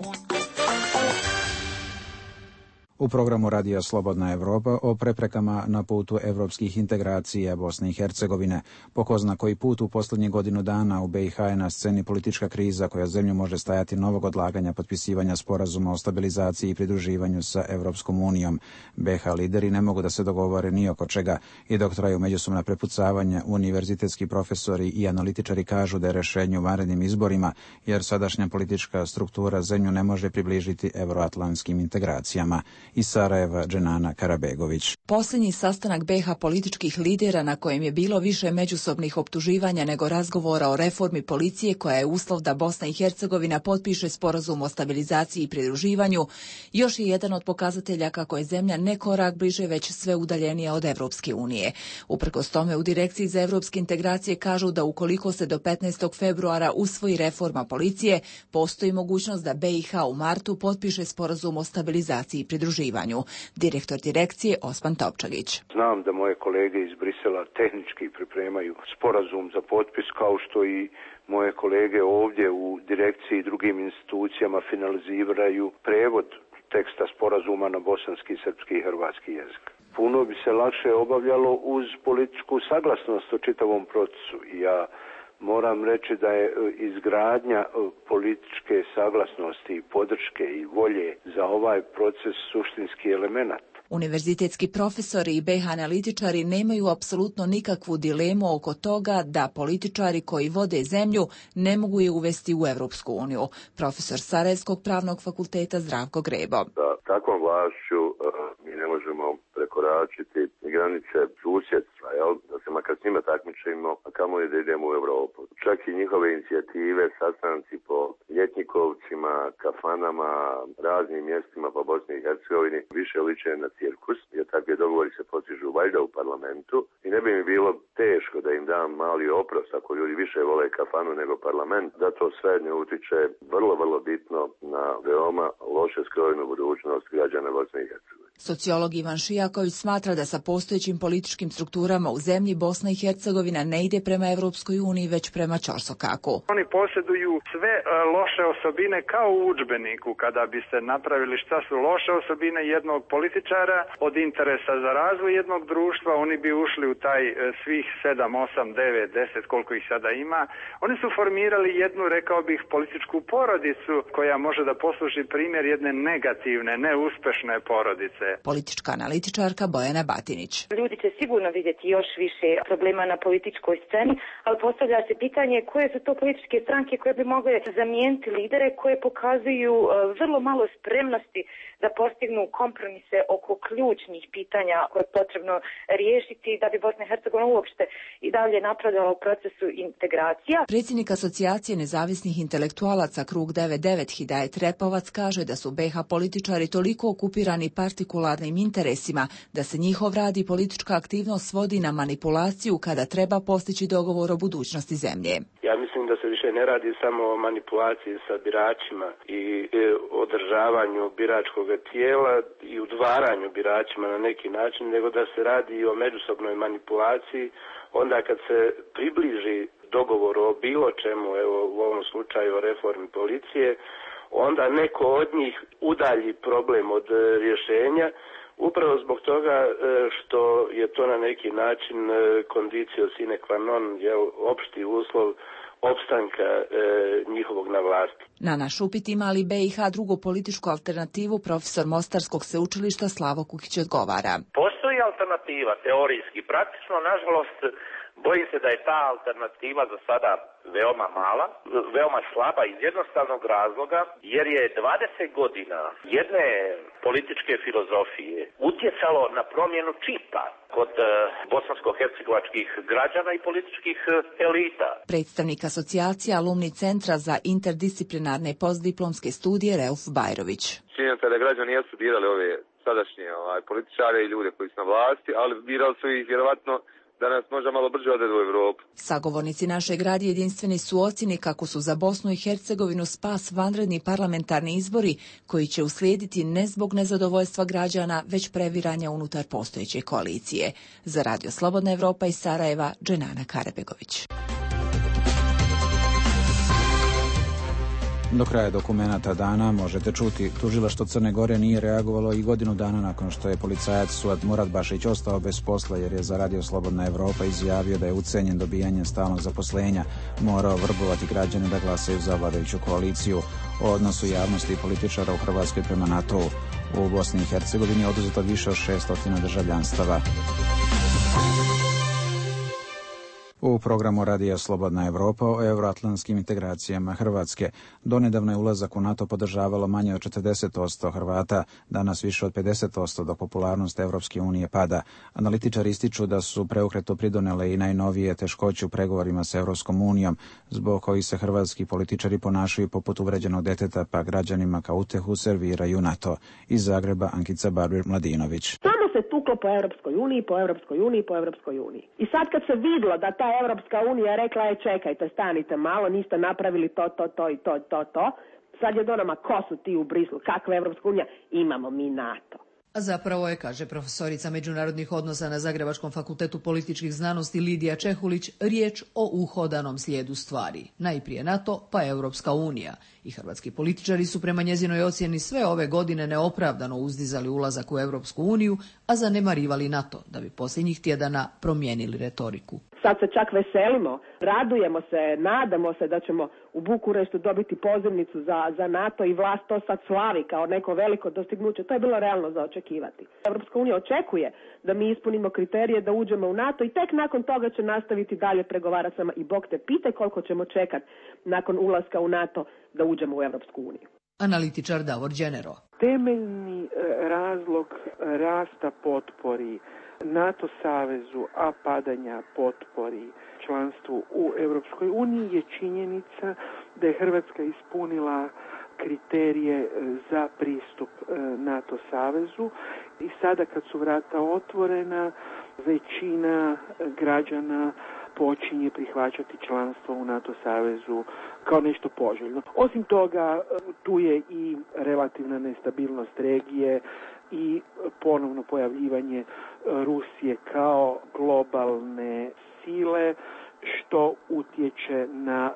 U programu Radija Slobodna Evropa o preprekama na putu evropskih integracija Bosne i Hercegovine. Po ko zna koji put u posljednjih godinu dana u BiH je na sceni politička kriza koja zemlju može stajati novog odlaganja potpisivanja sporazuma o stabilizaciji i pridruživanju sa Evropskom unijom. BiH lideri ne mogu da se dogovore ni oko čega i dok traju međusobna prepucavanja, univerzitetski profesori i analitičari kažu da je rješenje u vanrednim izborima, jer sadašnja politička struktura zemlju ne može približiti evroatlantskim integracijama. Iz Sarajeva, Dženana Karabegović. Posljednji sastanak BiH političkih lidera na kojem je bilo više međusobnih optuživanja nego razgovora o reformi policije koja je uslov da Bosna i Hercegovina potpiše sporazum o stabilizaciji i pridruživanju, još je jedan od pokazatelja kako je zemlja ne korak bliže već sve udaljenija od Evropske unije. Uprkos tome u Direkciji za evropske integracije kažu da ukoliko se do 15. februara usvoji reforma policije, postoji mogućnost da BiH u martu potpiše sporazum o stabilizaciji i pridruživanju. Direktor direkcije Osman Topčagić. Znam da moje kolege iz Brisela tehnički pripremaju sporazum za potpis, kao što i moje kolege ovdje u direkciji i drugim institucijama finaliziraju prevod teksta sporazuma na bosanski, srpski i hrvatski jezik. Puno bi se lakše obavljalo uz političku saglasnost o čitavom procesu. Ja moram reći da je izgradnja političke saglasnosti i podrške i volje za ovaj proces suštinski element. Univerzitetski profesori i BiH analitičari nemaju apsolutno nikakvu dilemu oko toga da političari koji vode zemlju ne mogu je uvesti u Evropsku uniju. Profesor Sarajevskog pravnog fakulteta Zdravko Grebo. Da takvom vlašću mi ne možemo prekoračiti granice susjedstva, da se makar s njima takmičimo, a kamoli da idemo u Evropu. Čak i njihove inicijative, sastanci po ljetnikovcima, kafanama, raznim mjestima po Bosni i Hercegovini više liče na cirkus, jer takve dogovori se postižu valjda u parlamentu i ne bi mi bilo teško da im dam mali oprost ako ljudi više vole kafanu nego parlament, da to sve ne utiče vrlo bitno na veoma loše skrojenu budućnost građana Bosne i Hercegovine. Sociolog Ivan Šijaković smatra da sa postojećim političkim strukturama u zemlji Bosna i Hercegovina ne ide prema Evropskoj uniji, već prema ćorsokaku. Oni posjeduju sve loše osobine kao u udžbeniku. Kada biste napravili šta su loše osobine jednog političara od interesa za razvoj jednog društva, oni bi ušli u taj svih 7, 8, 9, 10, koliko ih sada ima. Oni su formirali jednu, rekao bih, političku porodicu koja može da posluži primjer jedne negativne, neuspešne porodice. Politička analitičarka Bojana Batinić. Ljudi će sigurno vidjeti još više problema na političkoj sceni, ali postavlja se pitanje koje su to političke stranke koje bi mogle zamijeniti lidere koje pokazuju vrlo malo spremnosti da postignu kompromise oko ključnih pitanja koje je potrebno riješiti da bi Bosna i Hercegovina uopšte i dalje napredala u procesu integracija. Predsjednik Asocijacije nezavisnih intelektualaca Krug 99 Hidajet Repovac kaže da su BiH političari toliko okupirani partikularnim interesima da se njihov rad i politička aktivnost svodi na manipulaciju kada treba postići dogovor o budućnosti zemlje. Ja mislim da se više ne radi samo o manipulaciji sa biračima i održavanju biračkog tijela i udvaranju biračima na neki način, nego da se radi i o međusobnoj manipulaciji onda kad se približi dogovor o bilo čemu, evo u ovom slučaju o reformi policije, onda neko od njih udalji problem od rješenja, upravo zbog toga što je to na neki način condicio sine qua non, opšti uslov opstanka njihovog na vlasti. Na naš upit ima li BiH drugu političku alternativu, profesor Mostarskog sveučilišta Slavo Kukić odgovara. Postoji alternativa, teorijski. Praktično, nažalost, bojim se da je ta alternativa za sada veoma mala, veoma slaba iz jednostavnog razloga, jer je 20 godina jedne političke filozofije utjecalo na promjenu čipa kod bosansko-hercegovačkih građana i političkih elita. Predstavnik asocijacije Alumni centra za interdisciplinarne postdiplomske studije Reuf Bajrović. Činjenica je da građani jesu birali ove sadašnje političare i ljude koji su na vlasti, ali birali su ih vjerovatno da nas može malo brže odvedu u Evropu. Sagovornici našeg radija jedinstveni su ocjeni kako su za Bosnu i Hercegovinu spas vanredni parlamentarni izbori koji će uslijediti ne zbog nezadovoljstva građana, već previranja unutar postojeće koalicije. Za Radio Slobodna Evropa iz Sarajeva, Dženana Karebegović. Do kraja dokumenata dana možete čuti, tužilaštvo Crne Gore nije reagovalo i godinu dana nakon što je policajac Suad Muratbašić ostao bez posla jer je za Radio Slobodna Evropa izjavio da je ucenjen dobijanjem stalnog zaposlenja, morao vrbovati građane da glasaju za vladajuću koaliciju. O odnosu javnosti i političara u Hrvatskoj prema NATO-u. U Bosni i Hercegovini je oduzeto više od 600 državljanstava. U programu Radija Slobodna Evropa o euroatlantskim integracijama Hrvatske. Donedavno je ulazak u NATO podržavalo manje od 40% Hrvata, danas više od 50%, dok popularnost Evropske unije pada. Analitičari ističu da su preokretu pridonele i najnovije teškoće u pregovorima s Evropskom unijom, zbog kojih se hrvatski političari ponašaju poput uvređenog deteta, pa građanima kao utehu serviraju NATO. Iz Zagreba Ankica Barbir-Mladinović. Samo se tuklo po Europskoj uniji, po Europskoj uniji, po Europskoj uniji. I sad kad se vidlo da ta Europska unija rekla je čekajte, stanite malo, niste napravili to, sad je do nama, ko su ti u Brislu, kakva je Europska unija, imamo mi NATO. A zapravo je, kaže profesorica međunarodnih odnosa na Zagrebačkom fakultetu političkih znanosti Lidija Čehulić, riječ o uhodanom slijedu stvari. Najprije NATO, pa Europska unija. I hrvatski političari su prema njezinoj ocjeni sve ove godine neopravdano uzdizali ulazak u Europsku uniju, a zanemarivali NATO, da bi posljednjih tjedana promijenili retoriku. Sad se čak veselimo, radujemo se, nadamo se da ćemo u Bukureštu dobiti pozivnicu za NATO i vlast to sad slavi kao neko veliko dostignuće. To je bilo realno za očekivati. Europska unija očekuje da mi ispunimo kriterije da uđemo u NATO i tek nakon toga će nastaviti dalje pregovarati sama. I Bog te pitaj koliko ćemo čekati nakon ulaska u NATO da uđemo u Europsku uniju. Analitičar Davor Đenero. Temeljni razlog rasta potpori NATO savezu, a padanja potpori članstvu u Europskoj uniji je činjenica da je Hrvatska ispunila kriterije za pristup NATO savezu i sada kad su vrata otvorena, većina građana počinje prihvaćati članstvo u NATO savezu kao nešto poželjno. Osim toga, tu je i relativna nestabilnost regije i ponovno pojavljivanje Rusije kao globalne sile, što utječe na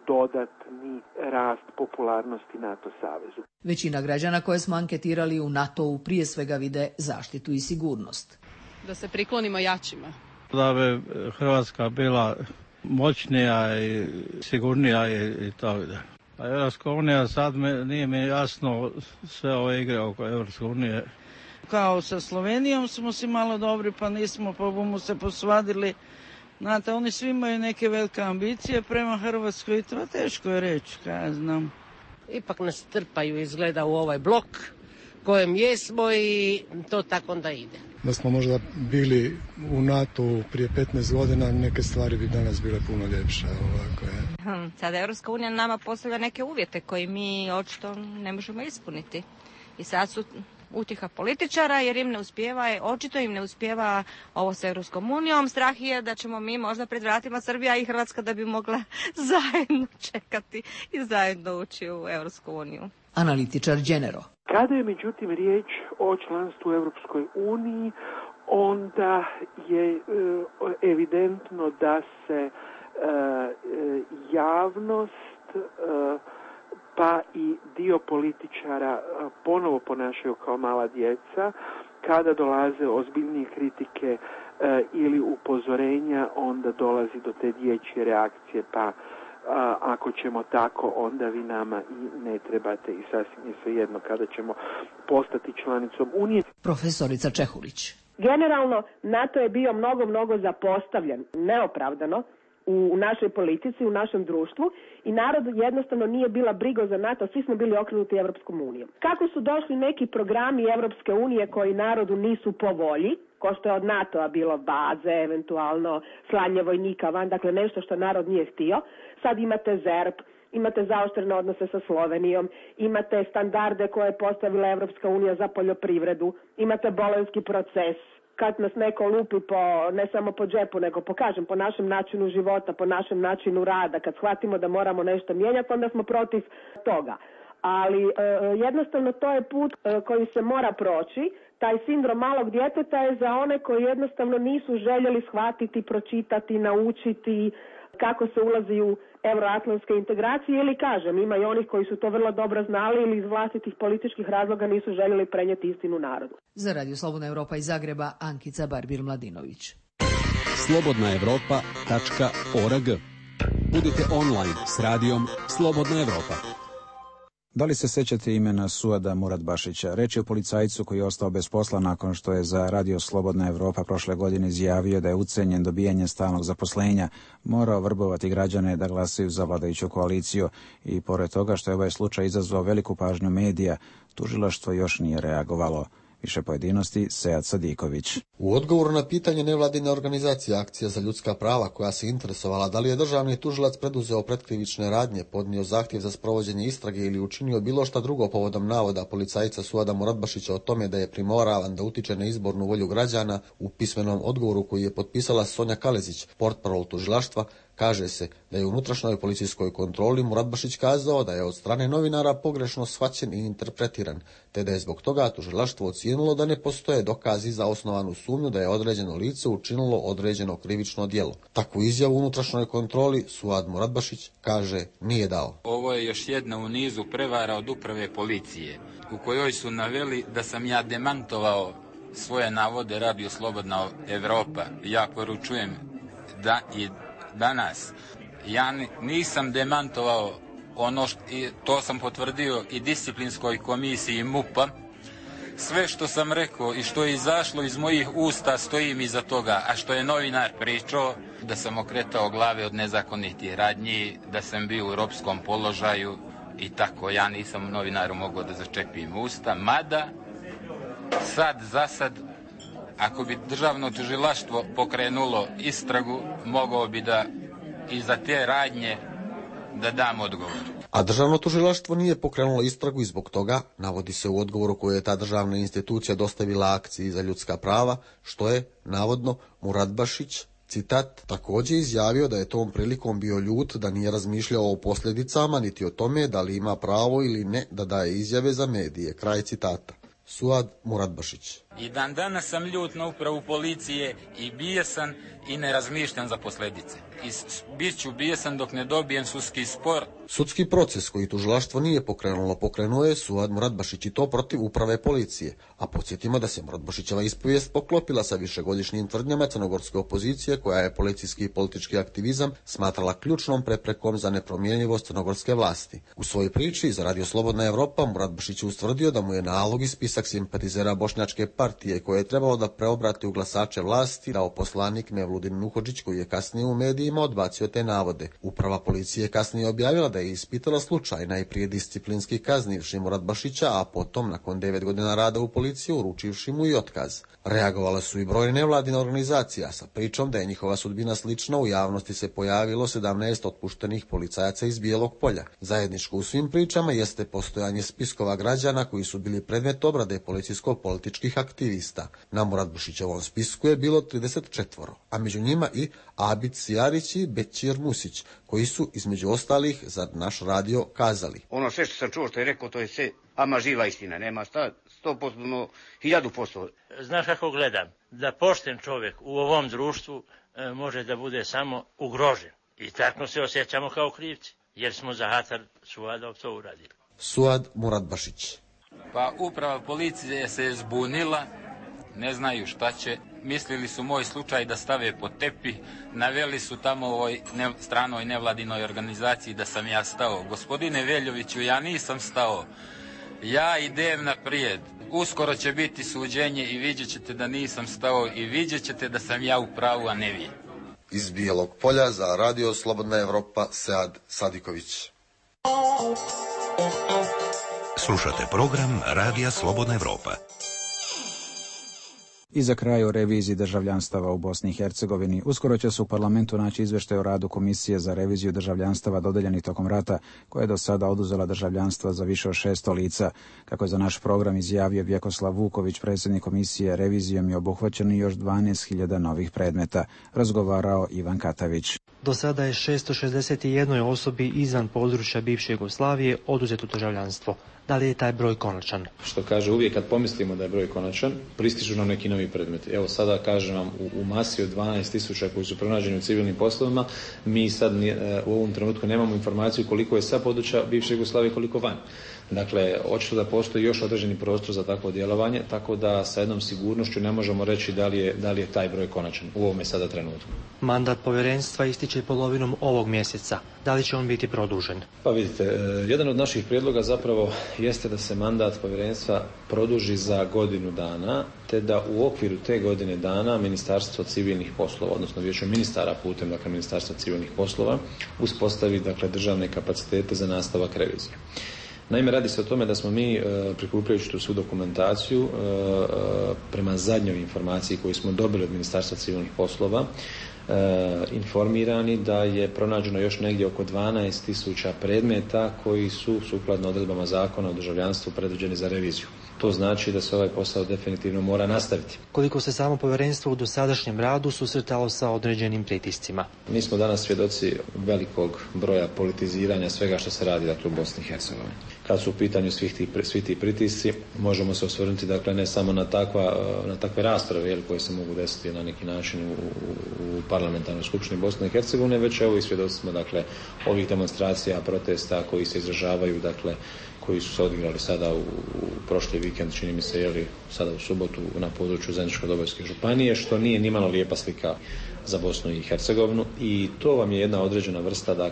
dodatni rast popularnosti NATO savezu. Većina građana koje smo anketirali u NATO-u prije svega vide zaštitu i sigurnost. Da se priklonimo jačima. Da bi Hrvatska bila moćnija i sigurnija i tako da. A Europska unija sad nije mi jasno sve ove igre oko Europske unije. Kao sa Slovenijom smo si malo dobri pa nismo po bumu se posvadili. Znate, oni svi imaju neke velike ambicije prema Hrvatskoj i to teško je reći, kaj ja znam. Ipak nas trpaju izgleda u ovaj blok kojem jesmo i to tako onda ide. Da smo možda bili u NATO prije 15 godina, neke stvari bi danas bile puno ljepše. Sada Europska unija nama postavlja neke uvjete koji mi očito ne možemo ispuniti. I sad su utjeha političara jer im ne uspijeva, očito im ne uspijeva ovo s Europskom unijom. Strah je da ćemo mi možda pred vratima Srbija i Hrvatska da bi mogla zajedno čekati i zajedno ući u Europsku uniju. Analitičar Đenero. Kada je međutim riječ o članstvu u Europskoj uniji, onda je evidentno da se javnost pa i dio političara ponovo ponašaju kao mala djeca. Kada dolaze ozbiljnije kritike ili upozorenja, onda dolazi do te dječje reakcije, pa ako ćemo tako, onda vi nama i ne trebate i sasvim je svejedno kada ćemo postati članicom Unije. Profesorica Čehulić. Generalno, NATO je bio mnogo zapostavljen, neopravdano, u našoj politici, u našem društvu i narod jednostavno nije bila briga za NATO, svi smo bili okrenuti Evropskom unijom. Kako su došli neki programi Evropske unije koji narodu nisu po volji, ko što je od NATO-a bilo baze, eventualno slanje vojnika van, dakle nešto što narod nije htio, sad imate ZERP, imate zaoštrene odnose sa Slovenijom, imate standarde koje je postavila Evropska unija za poljoprivredu, imate bolonjski proces, kad nas neko lupi ne samo po džepu, nego po našem načinu života, po našem načinu rada, kad shvatimo da moramo nešto mijenjati, onda smo protiv toga. Ali jednostavno to je put koji se mora proći. Taj sindrom malog djeteta je za one koji jednostavno nisu željeli shvatiti, pročitati, naučiti kako se ulazi u euroatlantske integracije ili ima i onih koji su to vrlo dobro znali ili iz vlastitih političkih razloga nisu željeli prenijeti istinu narodu. Za Radio Slobodna Evropa iz Zagreba, Ankica Barbir-Mladinović. slobodnaevropa.org. Budite online s radijom Slobodna Evropa. Da li se sećate imena Suada Muratbašića? Reč je o policajcu koji je ostao bez posla nakon što je za Radio Slobodna Evropa prošle godine izjavio da je ucenjen dobijanjem stalnog zaposlenja, morao vrbovati građane da glasaju za vladajuću koaliciju i pored toga što je ovaj slučaj izazvao veliku pažnju medija, tužilaštvo još nije reagovalo. Više pojedinosti, Sead Sadiković. U odgovoru na pitanje nevladine organizacije Akcija za ljudska prava, koja se interesovala da li je državni tužilac preduzeo pretkrivične radnje, podnio zahtjev za sprovođenje istrage ili učinio bilo šta drugo povodom navoda policajca Suada Muratbašića o tome da je primoravan da utiče na izbornu volju građana, u pismenom odgovoru koji je potpisala Sonja Kalezić, portparol tužilaštva, kaže se da je u unutrašnjoj policijskoj kontroli Muratbašić kazao da je od strane novinara pogrešno shvaćen i interpretiran, te da je zbog toga tužilaštvo ocijenilo da ne postoje dokazi za osnovanu sumnju da je određeno lice učinilo određeno krivično djelo. Takvu izjavu u unutrašnjoj kontroli Suad Muratbašić, kaže, nije dao. Ovo je još jedna u nizu prevara od uprave policije, u kojoj su naveli da sam ja demantovao svoje navode Radio Slobodna Evropa. Ja poručujem da i danas ja nisam demantovao ono to sam potvrdio i disciplinskoj komisiji MUP-a. Sve što sam rekao i što je izašlo iz mojih usta stojim iza toga, a što je novinar pričao da sam okretao glave od nezakonitih radnji, da sam bio u ropskom položaju i tako, ja nisam novinaru mogao da začepim usta, mada za sad ako bi državno tužilaštvo pokrenulo istragu, mogao bi da i za te radnje da dam odgovor. A državno tužilaštvo nije pokrenulo istragu i zbog toga, navodi se u odgovoru koje je ta državna institucija dostavila Akciji za ljudska prava, što je, navodno, Muratbašić, citat, također izjavio da je tom prilikom bio ljut, da nije razmišljao o posljedicama, niti o tome da li ima pravo ili ne da daje izjave za medije. Kraj citata. Suad Muratbašić. I dan danas sam ljut na upravu policije i bijesan i ne razmišljam za posljedice. I bit ću bijesan dok ne dobijem sudski spor. Sudski proces koji tužilaštvo nije pokrenuo je Suad Muratbašić i to protiv uprave policije. A podsjetimo da se Muratbašićeva ispovijest poklopila sa višegodišnjim tvrdnjama crnogorske opozicije koja je policijski i politički aktivizam smatrala ključnom preprekom za nepromjenjivost crnogorske vlasti. U svojoj priči za Radio Slobodna Evropa Muratbašić je ustvrdio da mu je nalog i spisak simpatizera Bošnjačke partije koje je trebalo da preobrati u glasače vlasti dao poslanik Mevludin Nuhodžić koji je kasnije u medijima odbacio te navode. Uprava policije kasnije objavila da je ispitala slučaj, najprije disciplinski kaznivši Muratbašića, a potom nakon 9 godina rada u policiji uručivši mu i otkaz. Reagovala su i brojne nevladine organizacija sa pričom da je njihova sudbina slična. U javnosti se pojavilo 17 otpuštenih policajaca iz Bijelog Polja. Zajedničko u svim pričama jeste postojanje spiskova građana koji su bili predmet obrade policijsko-političkih aktivista. Na Muratbašićevom spisku je bilo 34, a među njima i Abid Sijarić i Bećir Musić, koji su između ostalih za naš radio kazali. Ono sve što sam čuo što je rekao, to je sve ama živa istina, nema 100%, 1000%. Znaš kako gledam? Da pošten čovjek u ovom društvu može da bude samo ugrožen. I tako se osjećamo kao krivci. jer smo za Hatar Suadov to uradili. Suad Muradbašić. Pa uprava policije se je zbunila, ne znaju šta će. Mislili su moj slučaj da stave pod tepih, naveli su tamo ovoj stranoj nevladinoj organizaciji da sam ja stao. Gospodine Veljoviću, ja nisam stao. Ja idem naprijed. Uskoro će biti suđenje i vidjet ćete da nisam stao i vidjet ćete da sam ja u pravu, a ne vi. Iz Bijelog Polja za Radio Slobodna Evropa, Sead Sadiković. Slušate program Radija Slobodna Evropa. I za kraj o reviziji državljanstava u Bosni i Hercegovini. Uskoro će se u parlamentu naći izveštaj o radu Komisije za reviziju državljanstava dodeljenih tokom rata, koja je do sada oduzela državljanstva za više od 600 lica. Kako je za naš program izjavio Vjekoslav Vuković, predsjednik komisije, revizijom je obuhvaćeno još 12.000 novih predmeta. Razgovarao Ivan Katavić. Do sada je 661 osobi izvan područja bivše Jugoslavije oduzeto državljanstvo. Da li je taj broj konačan? Što kaže, uvijek kad pomislimo da je broj konačan, pristižu nam neki novi predmeti. Evo sada kažem vam, u masi od 12.000 koji su pronađeni u civilnim poslovima, mi sad u ovom trenutku nemamo informaciju koliko je sa područja bivše Jugoslavije, koliko van. Dakle, očito da postoji još određeni prostor za takvo djelovanje, tako da sa jednom sigurnošću ne možemo reći da li je taj broj konačan u ovome sada trenutku. Mandat povjerenstva ističe polovinom ovog mjeseca. Da li će on biti produžen? Pa vidite, jedan od naših prijedloga zapravo jeste da se mandat povjerenstva produži za godinu dana, te da u okviru te godine dana Ministarstvo civilnih poslova, odnosno Vijeće ministara putem Ministarstva civilnih poslova, uspostavi državne kapacitete za nastavak revizije. Naime, radi se o tome da smo mi, prikupljajući tu svu dokumentaciju, prema zadnjoj informaciji koju smo dobili od Ministarstva civilnih poslova, informirani da je pronađeno još negdje oko 12.000 predmeta koji su sukladno odredbama zakona o državljanstvu predviđeni za reviziju. To znači da se ovaj posao definitivno mora nastaviti. Koliko se samo povjerenstvo u dosadašnjem radu susretalo sa određenim pritiscima? Mi smo danas svjedoci velikog broja politiziranja svega što se radi u Bosni i Hercegovini. Kad su u pitanju svi ti pritisci, možemo se osvrnuti ne samo na takve rasprave koje se mogu desiti na neki način u parlamentarnoj skupštini Bosne i Hercegovine, već evo i svjedoci smo ovih demonstracija, protesta koji se izražavaju, koji su se odigrali sada u prošli vikend, čini mi se, sada u subotu na području Zeničko-Dobojske županije, što nije nimalo lijepa slika za Bosnu i Hercegovinu, i to vam je jedna određena vrsta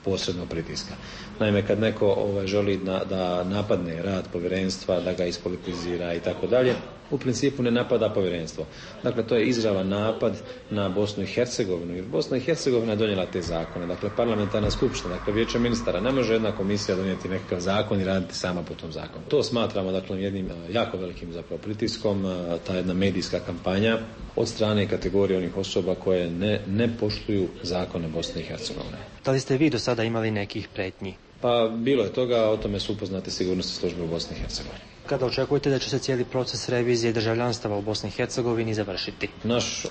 posrednog pritiska. Naime, kad neko želi da napadne rad povjerenstva, da ga ispolitizira i tako dalje, u principu ne napada povjerenstvo. Dakle, to je izravan napad na Bosnu i Hercegovinu, jer Bosna i Hercegovina je donijela te zakone. Parlamentarna skupština, Vijeće ministara, ne može jedna komisija donijeti nekakav zakon i raditi sama po tom zakonu. To smatramo jednim jako velikim pritiskom, ta jedna medijska kampanja od strane kategorije onih osoba koje ne poštuju zakone Bosne i Hercegovine. Da li ste vi do sada imali nekih prijetnji? Pa bilo je toga, o tome su upoznate sigurnosne službe u Bosni i Hercegovini. Kada očekujete da će se cijeli proces revizije državljanstava u Bosni i Hercegovini završiti? Naš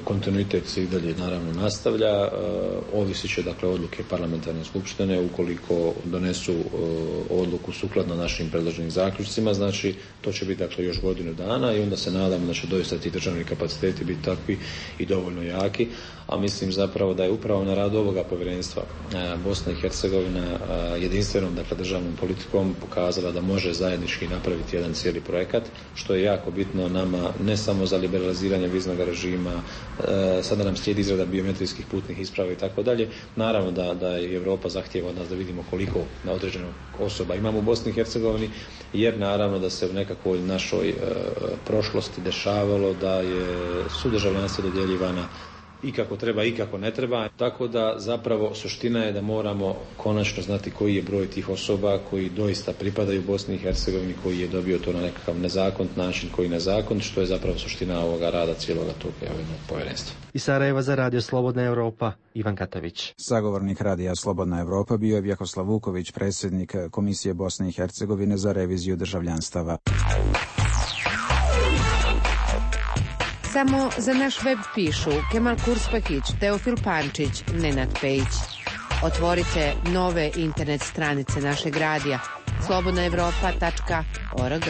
kontinuitet se i dalje naravno nastavlja, ovisit će odluke parlamentarne skupštine. Ukoliko donesu odluku sukladno našim predloženim zaključcima, znači to će biti još godinu dana, i onda se nadamo da će doista ti državni kapaciteti biti takvi i dovoljno jaki, a mislim zapravo da je upravo na radu ovoga povjerenstva Bosna i Hercegovina jedinstvenom državnom politikom pokazala da može zajednički napraviti jedan cijeli projekat, što je jako bitno nama, ne samo za liberaliziranje viznog režima, sada nam slijedi izrada biometrijskih putnih isprava i tako dalje. Naravno da i Europa zahtijeva od nas da vidimo koliko na određenog osoba imamo u Bosni i Hercegovini, jer naravno da se u nekakvoj našoj prošlosti dešavalo da su državljanstva dodjeljivana i kako treba i kako ne treba, tako da zapravo suština je da moramo konačno znati koji je broj tih osoba koji doista pripadaju Bosni i Hercegovini, koji je dobio to na nekakav nezakonit način, koji nezakonit, što je zapravo suština ovoga rada cijeloga tog povjerenstva. Iz Sarajeva za Radio Slobodna Evropa, Ivan Katavić. Sagovornik Radija Slobodna Evropa bio je Vjekoslav Vuković, predsjednik Komisije Bosne i Hercegovine za reviziju državljanstava. Samo za naš web pišu Kemal Kurspahić, Teofil Pančić, Nenad Pejić. Otvorite nove internet stranice našeg radija slobodnaevropa.org.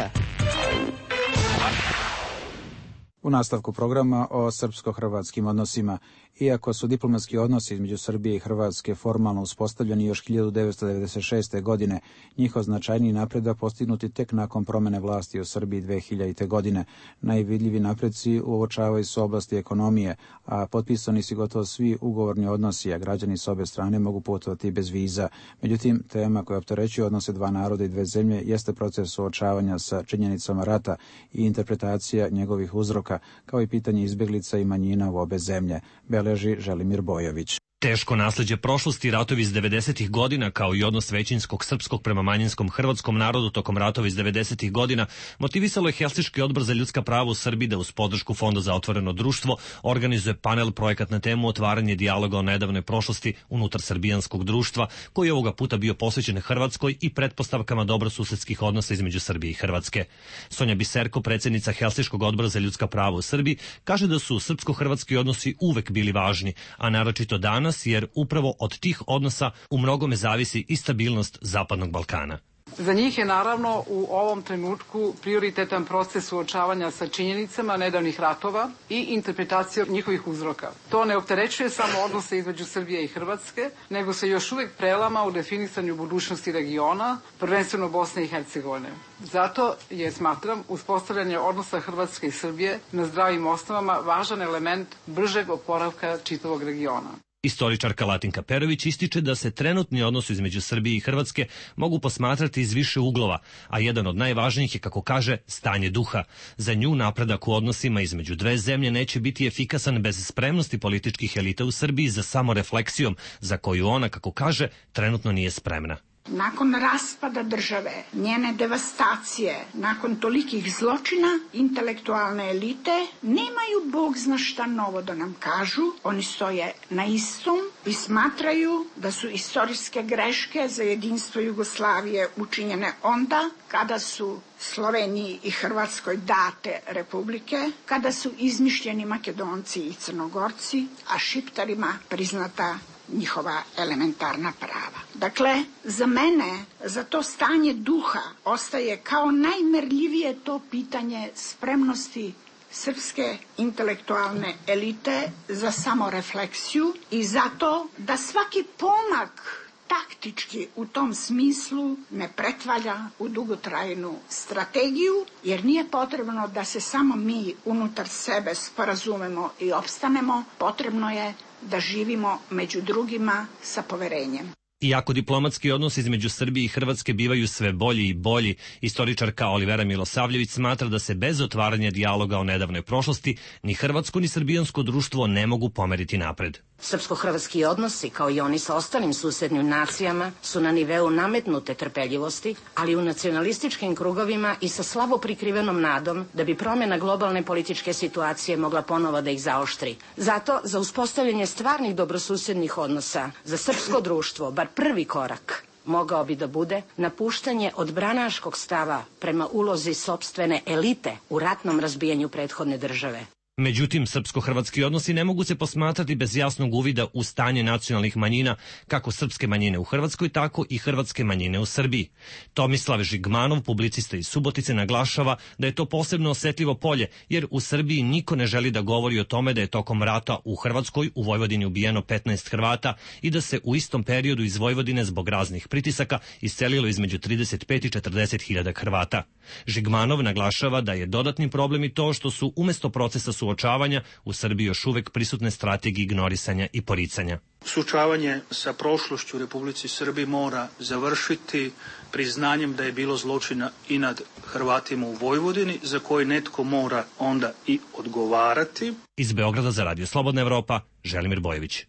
U nastavku programa o srpsko-hrvatskim odnosima Iako su diplomatski odnosi između Srbije i Hrvatske formalno uspostavljeni još 1996. godine, njihov značajniji napredak postignuti tek nakon promene vlasti u Srbiji 2000. godine. Najvidljivi napreci uočavaju se u oblasti ekonomije, a potpisani su gotovo svi ugovorni odnosi, a građani s obe strane mogu putovati bez viza. Međutim, tema koja opterećuje odnose dva naroda i dve zemlje jeste proces suočavanja sa činjenicama rata i interpretacija njegovih uzroka, kao i pitanje izbjeglica i manjina u obe zemlje, beleži Želimir Bojović. Teško nasleđe prošlosti, ratovi iz 90. godina, kao i odnos većinskog srpskog prema manjinskom hrvatskom narodu tokom ratova iz 90. godina, motivisalo je Helsinški odbor za ljudska prava u Srbiji da uz podršku Fonda za otvoreno društvo organizuje panel projekat na temu otvaranje dijaloga o nedavnoj prošlosti unutar srbijanskog društva, koji je ovoga puta bio posvećen Hrvatskoj i pretpostavkama dobrosusedskih odnosa između Srbije i Hrvatske. Sonja Biserko, predsjednica Helsinškog odbora za ljudska prava u Srbiji, kaže da su srpsko-hrvatski odnosi uvek bili važni, a naročito danas, jer upravo od tih odnosa u mnogome zavisi i stabilnost Zapadnog Balkana. Za njih je naravno u ovom trenutku prioritetan proces suočavanja sa činjenicama nedavnih ratova i interpretacija njihovih uzroka. To ne opterećuje samo odnose između Srbije i Hrvatske, nego se još uvijek prelama u definisanju budućnosti regiona, prvenstveno Bosne i Hercegovine. Zato je, smatram, uspostavljanje odnosa Hrvatske i Srbije na zdravim osnovama važan element bržeg oporavka čitavog regiona. Istoričarka Latinka Perović ističe da se trenutni odnosi između Srbije i Hrvatske mogu posmatrati iz više uglova, a jedan od najvažnijih je, kako kaže, stanje duha. Za nju napredak u odnosima između dve zemlje neće biti efikasan bez spremnosti političkih elita u Srbiji za samorefleksijom, za koju ona, kako kaže, trenutno nije spremna. Nakon raspada države, njene devastacije, nakon tolikih zločina, intelektualne elite nemaju bog zna šta novo da nam kažu. Oni stoje na istom i smatraju da su istorijske greške za jedinstvo Jugoslavije učinjene onda kada su Sloveniji i Hrvatskoj date republike, kada su izmišljeni Makedonci i Crnogorci, a Šiptarima priznata njihova elementarna prava. Dakle, za mene, za to stanje duha ostaje kao najmerljivije to pitanje spremnosti srpske intelektualne elite za samorefleksiju i zato da svaki pomak taktički u tom smislu ne pretvalja u dugotrajnu strategiju, jer nije potrebno da se samo mi unutar sebe sporazumemo i opstanemo, potrebno je da živimo među drugima sa poverenjem. Iako diplomatski odnosi između Srbije i Hrvatske bivaju sve bolji i bolji, istoričarka Olivera Milosavljević smatra da se bez otvaranja dijaloga o nedavnoj prošlosti ni hrvatsko ni srbijansko društvo ne mogu pomeriti napred. Srpsko-hrvatski odnosi, kao i oni sa ostalim susednim nacijama, su na niveu nametnute trpeljivosti, ali u nacionalističkim krugovima i sa slabo prikrivenom nadom da bi promjena globalne političke situacije mogla ponovo da ih zaoštri. Zato, za uspostavljanje stvarnih dobrosusednih odnosa, za srpsko društvo, bar prvi korak mogao bi da bude napuštanje odbranaškog stava prema ulozi sopstvene elite u ratnom razbijanju prethodne države. Međutim, srpsko-hrvatski odnosi ne mogu se posmatrati bez jasnog uvida u stanje nacionalnih manjina, kako srpske manjine u Hrvatskoj, tako i hrvatske manjine u Srbiji. Tomislav Žigmanov, publicista iz Subotice, naglašava da je to posebno osetljivo polje, jer u Srbiji niko ne želi da govori o tome da je tokom rata u Hrvatskoj u Vojvodini ubijeno 15 Hrvata i da se u istom periodu iz Vojvodine zbog raznih pritisaka iscelilo između 35 i 40 hiljada Hrvata. Žigmanov naglašava da je dodatni problem i to što su umjesto procesa suočavanja u Srbiji još uvek prisutne strategije ignorisanja i poricanja. Suočavanje sa prošlošću u Republici Srbiji mora završiti priznanjem da je bilo zločina i nad Hrvatima u Vojvodini, za koji netko mora onda i odgovarati. Iz Beograda za Radio Slobodna Evropa, Želimir Bojević.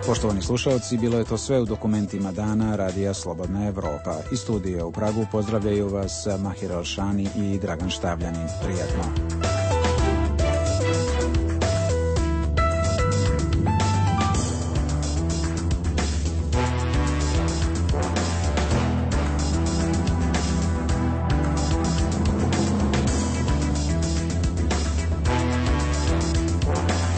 Poštovani slušalci, bilo je to sve u dokumentima dana Radija Slobodna Evropa. Iz studija u Pragu pozdravljaju vas Mahir Alšani i Dragan Štavljanin. Prijatno.